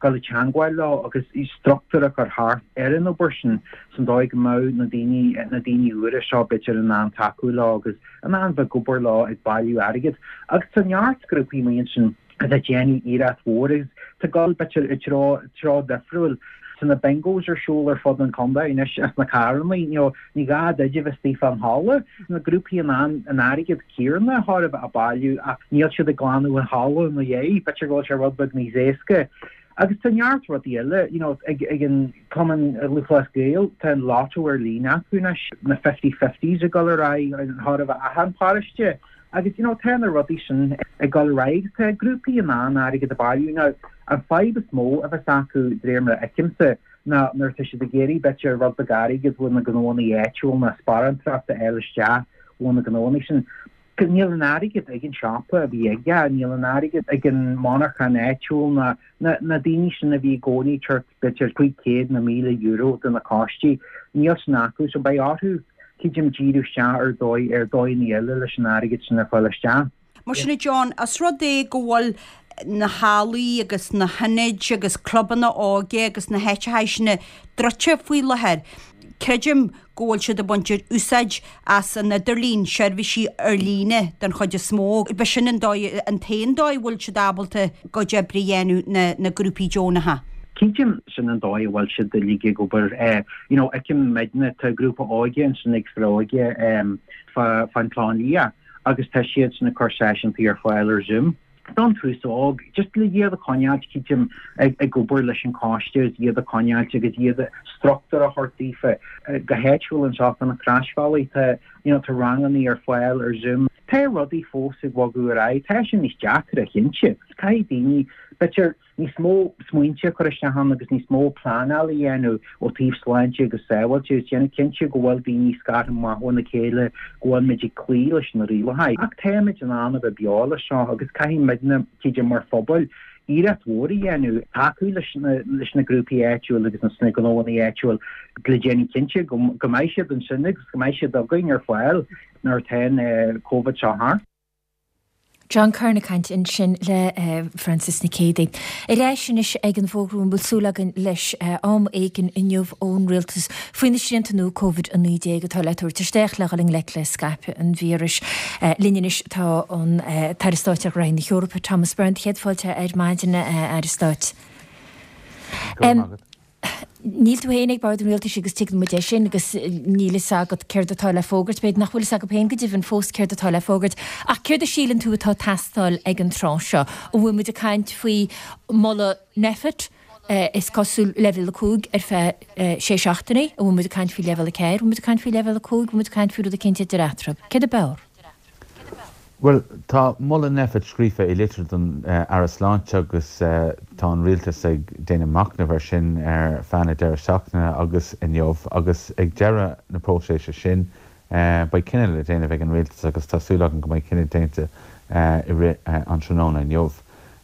dul i teangmháil leo agus struchtúr a chur thart ar an obair sin san dóigh go mbeadh na daoine, na daoine úra seo b'fhéidir in ann tacú leo agus in ann bheith ag obair leo ag bailiú airgid. Agus tá neart grúpaí amuigh ansin atá ag déanamh iarracht mhór agus tá ag dul b'fhéidir i dtreo, treo difriúil. Tá na bingos ar siúl ar fud an chontae anois sna carrannaí, you know, ní gá duit a bheith istigh fán halla. Na grúpaí in ann an airgead céanna chóir a bheith a bailiú ach níl siad ag glanadh an halla ina dhiaidh, b'fhéidir go bhfuil sé rud beag níos éasca. Agus tá neart rudaí eile, you know, ag ag an Cumann Lúthchleas Gael, tá an lotto ar líne acu anois, na fifty fifties ag dul ar aghaidh chóir a bheith achan paróiste. Agus, you know, tá na rudaí sin ag dul ar aghaidh agus tá grúpaí in ann airgead a bailiú. Now, an fadhb is mó a bheas acu, de réir mar a fheicimse, ná nuair atá siad ag iarraidh b'fhéidir rud beag airgid ó na gnóanna áitiúil nó sparántacht a fháil isteach ó na gnóanna sin. Níl an airgead ag an siopa a bhí aige, níl an airgead ag an monarchan áitiúil ná na daoine sin a bhí i gcónaí ag tabhairt b'fhéidir 500 nó €1,000 do na coistí, níl sin acu. So beidh orthu, creidim, díriú isteach ar dóigh, ar dóigheanna eile leis an airgead sin a fháil isteach. Mar sin a John, os rud é go bhfuil na hallaí agus na hionaid agus clubanna óige agus na háiteacha sin druidte faoi láthair, creidim go bhfuil siad ag baint úsáid as an idirlíon, seirbhísí ar líne den chuid is mó. B'shin an dóigh, an t-aon dóigh a bhfuil siad ábalta a gcuid oibre a dhéanamh, na na grúpaí deonacha. Creidim sin an dóigh a bhfuil siad uilig ag obair. You know, fheicim muidne, tá grúpa óige ansin ag Foróige fá fán Chlochán Liath agus tá siadsan ag cur seisiúntaí ar fáil ar Zoom. Don t-aos óg, just le iad a choinneáilt, creidim, ag obair leis an choiste agus iad a choinneáilt agus iad struchtúr a thabhairt daofa. Go háitiúil anseo fá na Croisbhealaí, tá, you know, tá rangannaí ar fáil ar Zoom. Tá rudaí fós ag bogadh ar aghaidh. Tá sé níos deacra, cinnte. Caithfidh daoine, b'fhéidir, níos mó smaointe a chur isteach ann agus níos mó pleanáil a dhéanamh ó taobh sláinte agus sábháilte agus déanamh cinnte go bhfuil daoine scartha amach óna chéile, go bhfuil muid ag cloí leis na rialacha. Ach táimid in ann a bheith beo leis seo agus caithfidh muidne, creidim, mar phobal, iarracht mhór a dhéanamh tacú leis na leis na grúpaí áitiúil agus na gnóanna áitiúil le déanamh cinnte go go mbeidh siad ansin agus go mbeidh siad againn ar fáil nuair atá an Covid seo thart. John Curran ag caint ansin le Frances Nic Géadaigh. Ar ais anois ag an bhfógra a bhfuil súil againn leis am éigin inniu ón Rialtas faoi na srianta nua Covid-19 atá le tabhairt isteach le dhul i ngleic le scaipeadh an víris. Linn anois tá an tAire Stáit ar Ghraithí na hEorpa, Thomas Byrne. Céad fáilte ar maidin, a Aire Stáit. Go raibh maith agat. Níl tú féin ag bord an rialtais agus tuigeann muid é sin agus níl fhios agat céard atá le fógairt, b'fhéidir nach bhfuil fhios agat féin go deimhin fós céard atá le fógairt. Ach céard a síleann tú atá ag teastáil ag an tráth seo? An bhfuil muid ag caint faoi mholadh Nphet, is cosúil, leibhéal 5 ar feadh sé seachtainí? An bhfuil muid ag caint faoi leibhéal 4? An bhfuil muid ag caint faoi leibhéal 5? An bhfuil muid ag caint faoi rud eicínt idir eatarthu? Céard a b'fhearr? Bhuel, tá moladh Nphet scríofa i litir don Aire Sláinte agus tá an Rialtas ag déanamh machnaimh air sin ar feadh na deireadh seachtaine agus inniu agus ag deireadh na próiséise sin beidh cinneadh le déanamh ag an Rialtas agus tá súil agam go mbeidh cinneadh déanta i rith an tráthnóna inniu.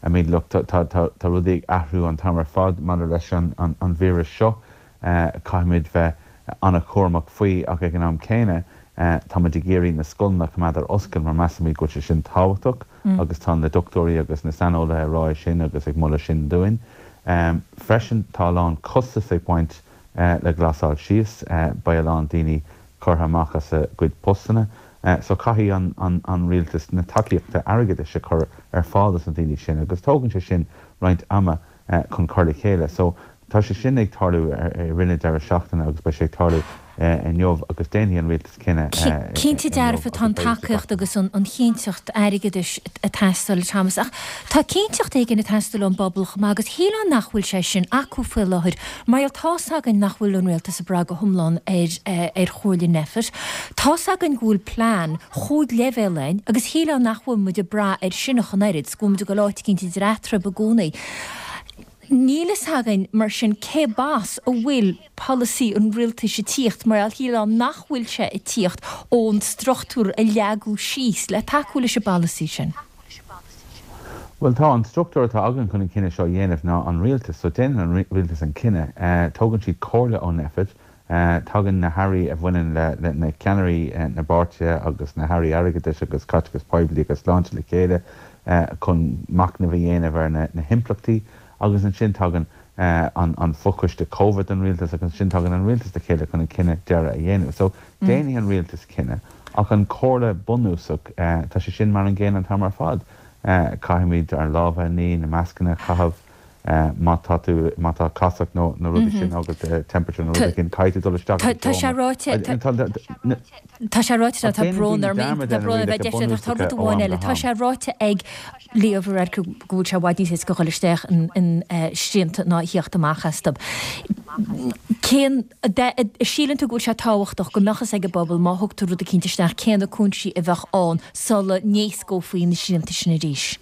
I mean, look, tá rudaí ag athrú an t-am ar fad maidir leis an víreas seo. Caithfimid bheith an-chúramach faoi ach ag an am céanna táimid ag iarraidh na scoileanna a choimeád ar oscailt mar measaimid go bhfuil sé sin tábhachtach agus tá na dochtúirí agus na saineolaithe ag rá é sin agus ag moladh sin dúinn. Freisin tá a lán costas ag baint le glasáil síos, beidh a lán daoine curtha amach as a gcuid postanna so caithfidh an rialtas na tacaíochta airgeadais a chur ar fáil dos na daoine sin agus tógann sé sin roinnt ama. chun cur le chéile. So, tá sé sin ag tarlú i rith na deireadh seachtaine agus beidh sé ag tarlú inniu agus déanfaidh an rialtas cinneadh Cinnte inniu dearfa tá agus an beidh sé tacaíocht agus an chinnteacht airgeadais ag teastáil, Thomas, ach tá cinnteacht éigin ag teastáil ón bpobal chomh maith agus shílfeá nach bhfuil sé sin acu faoi láthair mar gheall tá's againn nach bhfuil an rialtas ag brath go hiomlán ar ar chomhairle Nphet. Tá's againn go bhfuil plean chúig leibhéal ann agus shílfeá nach bhfuil muid ag brath air sin ach an oiread. go bhfuil muid ag dul áit eicínt idir eatarthu i gcónaí. Níl fhios againn, mar sin, cé b'as a bhfuil polasaí an rialtais ag tíocht, mar shílfeá nach bhfuil sé ag tíocht ón struchtúr a leagadh síos le tacú leis an bpolasaí sin. Bhuel, tá an struchtúr atá againn chun an cinneadh seo a dhéanamh ná an rialtas. So déanann an rialtas an cinneadh. Tógann siad comhairle ó Nphet. Tagann na hairí a bhaineann le na ceannairí na bpáirtithe agus na hairí airgeadais agus caiteachais poiblí agus sláinte le chéile chun machnamh a dhéanamh ar na himpleachtaí agus ansin tagann an fochoiste Covid don rialtas agus ansin tagann an rialtas le chéile chun an cinneadh deiridh a dhéanamh. So déanfaidh an rialtas cinneadh ach an comhairle bunúsach, tá sé sin mar an gcéanna an t-am ar fad. Caithfimid ár lámha a ní, na mascanna a chaitheamh. má tá tú, má tá casacht nó na rudaí sin agat, temperature nó rud éigin, caithfidh tú dul isteach i Tá sé ráite, tá sé ráite, tá brón orm, tá brón orm a bheith deifriúil ach tá rud amháin eile, tá sé ráite ag Leo Varadkar go bhfuil sé i bhfad níos éasca dhul isteach in srianta ná a thíocht amach astu. Cén, síleann tú go bhfuil sé tábhachtach go mbeadh fhios ag an bpobal má thugtar rud eicínt isteach cé na cúinsí a bheadh ann sula n-éascófaí na srianta sin arís?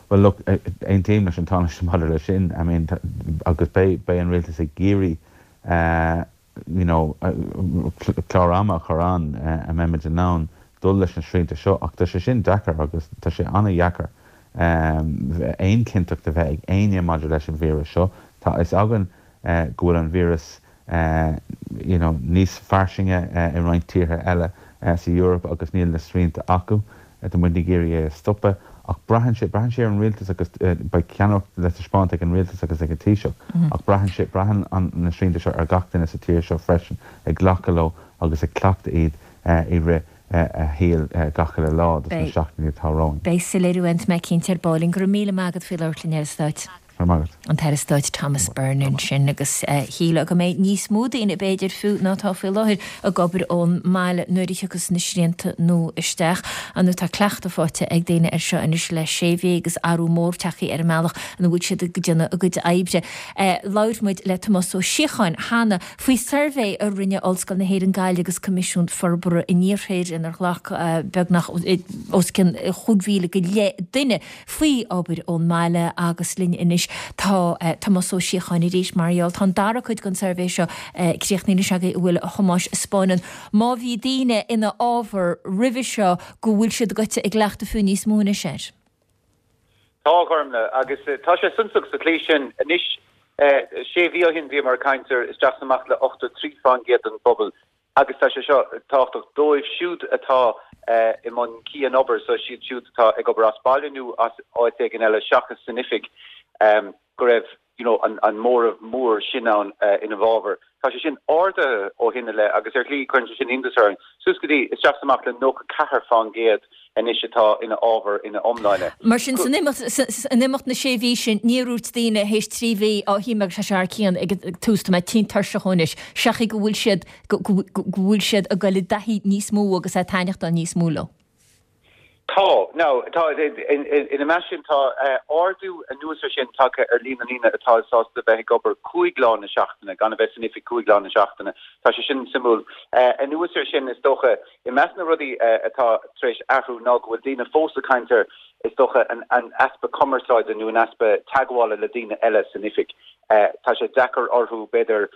Bhuel, look, aontaím leis an Tánaiste maidir leis sin, I mean, agus beidh, beidh an Rialtas ag iarraidh, you know, clár ama a chur ann a mbeimid in ann. dul leis na srianta seo ach tá sé sin deacair agus tá sé an-dheacair aon chinnteacht a bheith ag éinne maidir leis an víreas seo. Tá a fhios againn go bhfuil an víreas you know níos fairsinge i roinnt tíortha eile sa Eoraip agus níl na srianta acu. Tá muid ag iarraidh é a stopadh ach braitheann sé, braitheann sé ar an rialtas agus beidh ceannaireacht le taispeáint ag an rialtas agus ag an Taoiseach ach braitheann sé, braitheann an, na srianta seo ar gach duine sa tír seo freisin ag glacadh leo agus ag cleachtadh iad i rith a shaoil gach uile lá dos na seachtainí atá romhainn. Beidh soiléiriú ann, tá mé cinnte ar ball. Go raibh míle maith agat faoi labhairt linn, a Aire Stáit. Go raibh maith agat. An tAire Stáit Thomas Byrne ansin agus shílfeá go mbeidh níos mó daoine b'fhéidir fiú ná atá faoi láthair ag obair ón mbaile nuair a thiocfas na srianta nua isteach. Ar ndóigh tá cleachtadh faighte ag daoine air seo anois le sé mhí agus athrú mór tagtha ar an mbealach ina bhfuil siad ag déanamh a gcuid oibre. Labhair muid le Tomás Ó Síocháin cheana faoi suirbhé a rinne Ollscoil na hÉireann Gaillimh agus Coimisiún Forbartha an Iarthair inar ghlac beagnach os cionn 5,000 go leith duine faoi obair ón mbaile agus linn anois tá Tomás Ó Síocháin arís mar gheall tá an dara cuid den suirbhé seo críochnaithe anois agaibh a bhfuil a Thomáis a 'spáineann má bhí daoine ina fhábhar roimhe seo go bhfuil siad goite i gcleachtadh fiú níos mó anois air. Tá, a Ghormfhlaith, agus tá sé suntasach sa tslí sin. Anois, sé mhí ó shin bhíomar ag caint ar isteach is amach le 83% den bpobal Agus tá sé seo tábhachtach dóibh siúd atá i mbun cian-obair, so siad siúd atá ag obair as baile nó as áit éigin eile seachas san oifig, go raibh you know an móramh mór sin ann ina bhfabhar. Tá sé sin ardaithe ó shin i leith agus ar shlí cuireann sé sin iontas orainn, suas go dtí isteach is amach le 94% anois atá ina fhábhar ina iomláine. Mar sin, san imeacht na sé mhí sin, níor dhúirt daoine théis 3 mhí, á, shíl mé go raibh sé thar cionn ag an tús, tá mé tinn tuirseach anois, seachas go bhfuil siad, go bhfuil siad ag dul i dtaithí níos mó agus ag taitneachtáil níos mó leo. Tá. Now, tá, ina measc sin, tá ardú anuas ar sin tagtha ar líon na ndaoine atá sásta bheith ag obair 5 lá na seachtaine, gan a bheith san oifig 5 lá na seachtaine. Tá sé sin suimiúil. Anuas ar sin, is dócha, I measc na rudaí atá tar éis athrú ná go bhfuil daoine fós ag caint ar, is dócha, an easpa cumarsáide nó an easpa teagmhála le daoine eile san oifig. Tá sé deacair orthu, b'fhéidir,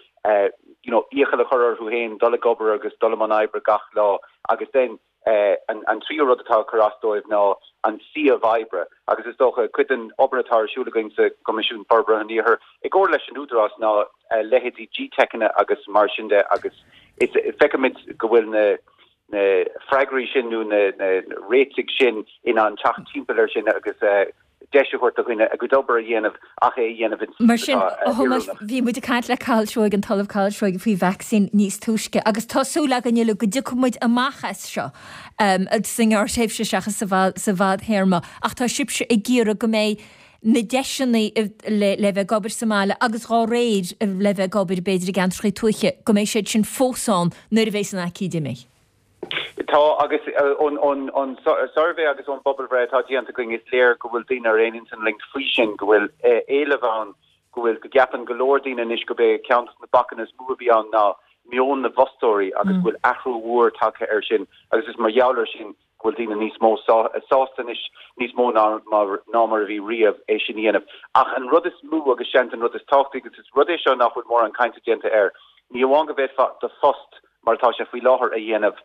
you know, iachall a chur orthu féin dul ag obair agus dul i mbun oibre gach lá agus then an tríú rud atá ag cur as dóibh ná an suíomh oibre agus is dócha cuid den obair atá ar siúl againn sa gCoimisiún Forbartha an Iarthair i gcomhar leis an Údarás ná leithéidí GTeiceanna agus mar sin de agus is feicimid go bhfuil na na freagraí sin nó na na réitigh sin in ann teacht timpeall air sin agus deis a thabhairt do dhaoine a gcuid obair a dhéanamh ach é a dhéanamh in Mar sin, a Thomáis, bhí muid ag caint le Cathal Seoighe, an tOllamh Cathal Seoighe faoi vacsaín níos túisce agus tá súil againn uilig go dtiocfaidh muid amach as seo sa ngearrthréimhse seachas sa bhfadthéarma ach tá sibhse ag iarraidh go mbeidh na deiseanna le bheith ag obair sa mbaile agus dhá réir le bheith ag obair b'fhéidir i gceantracha tuaithe, go mbeidh siad sin fós ann nuair a bheas an aicíd imithe. Tá, agus ón suirbhé agus ón bpobalbhreith atá déanta againn is léir go bhfuil daoine ar aon intinn linn faoi sin, go bhfuil éileamh ann, go bhfuil, go gceapann go leor daoine anois gurb é ceann de na bacanna is mó a bhí ann ná meon na bhfostóirí agus go bhfuil athrú mhór tagtha air sin agus is mar gheall air sin go bhfuil daoine níos mó sásta anois, níos mó ná ná mar a bhí riamh, é sin a dhéanamh. Ach an rud is mó agus seans an rud is tábhachtaí, agus is rud é seo nach bhfuil mórán cainte déanta air, ní amháin go bhféadfá do phost mar atá sé faoi láthair a dhéanamh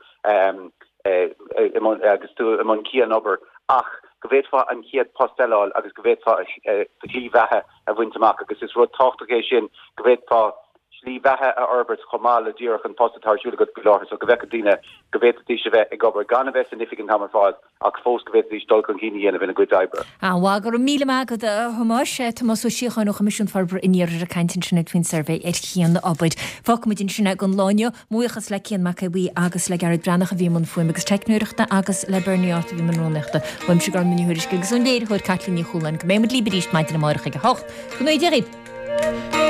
agus tú i mbun cian-obair, ach go bhféadfá an chéad post eile a fháil agus go bhféadfá do shlí bheatha a bhaint amach agus is rud tábhachtach é sin go bhféadfá slí bheatha a fhorbairt chomh maith le díreach an post atá ar siúl agat faoi láthair so go bhfeicfeadh daoine go bhféadfaidís a bheith ag obair gan a bheith san oifig an t-am ar fad ach fós go bhféadfaidís dul chun cinn a dhéanamh ina gcuid oibre. An-mhaith, go raibh míle maith agat a Thomáis. Tomás Ó Síocháin ó Choimisiún Forbartha an Iarthair ag caint ansin faoin suirbhé ar chian-obair. Fágfaimid ansin é don lá inniu. Mo bhuíochas le Cian Mac Aodha Bhuí agus le Gearóid Breathnach a bhí i mbun fuaime agus teicneoireachta agus le Bernie Arthur a bhí i mbun rúnaíochta. Uaimse Gormfhlaith Ní Thuairisg agus ón léiritheoir Caitlín Ní Chualáin. Go mbeidh muid libh arís maidin amárach ag 8. Go ngnóthaí Dia dhaoibh!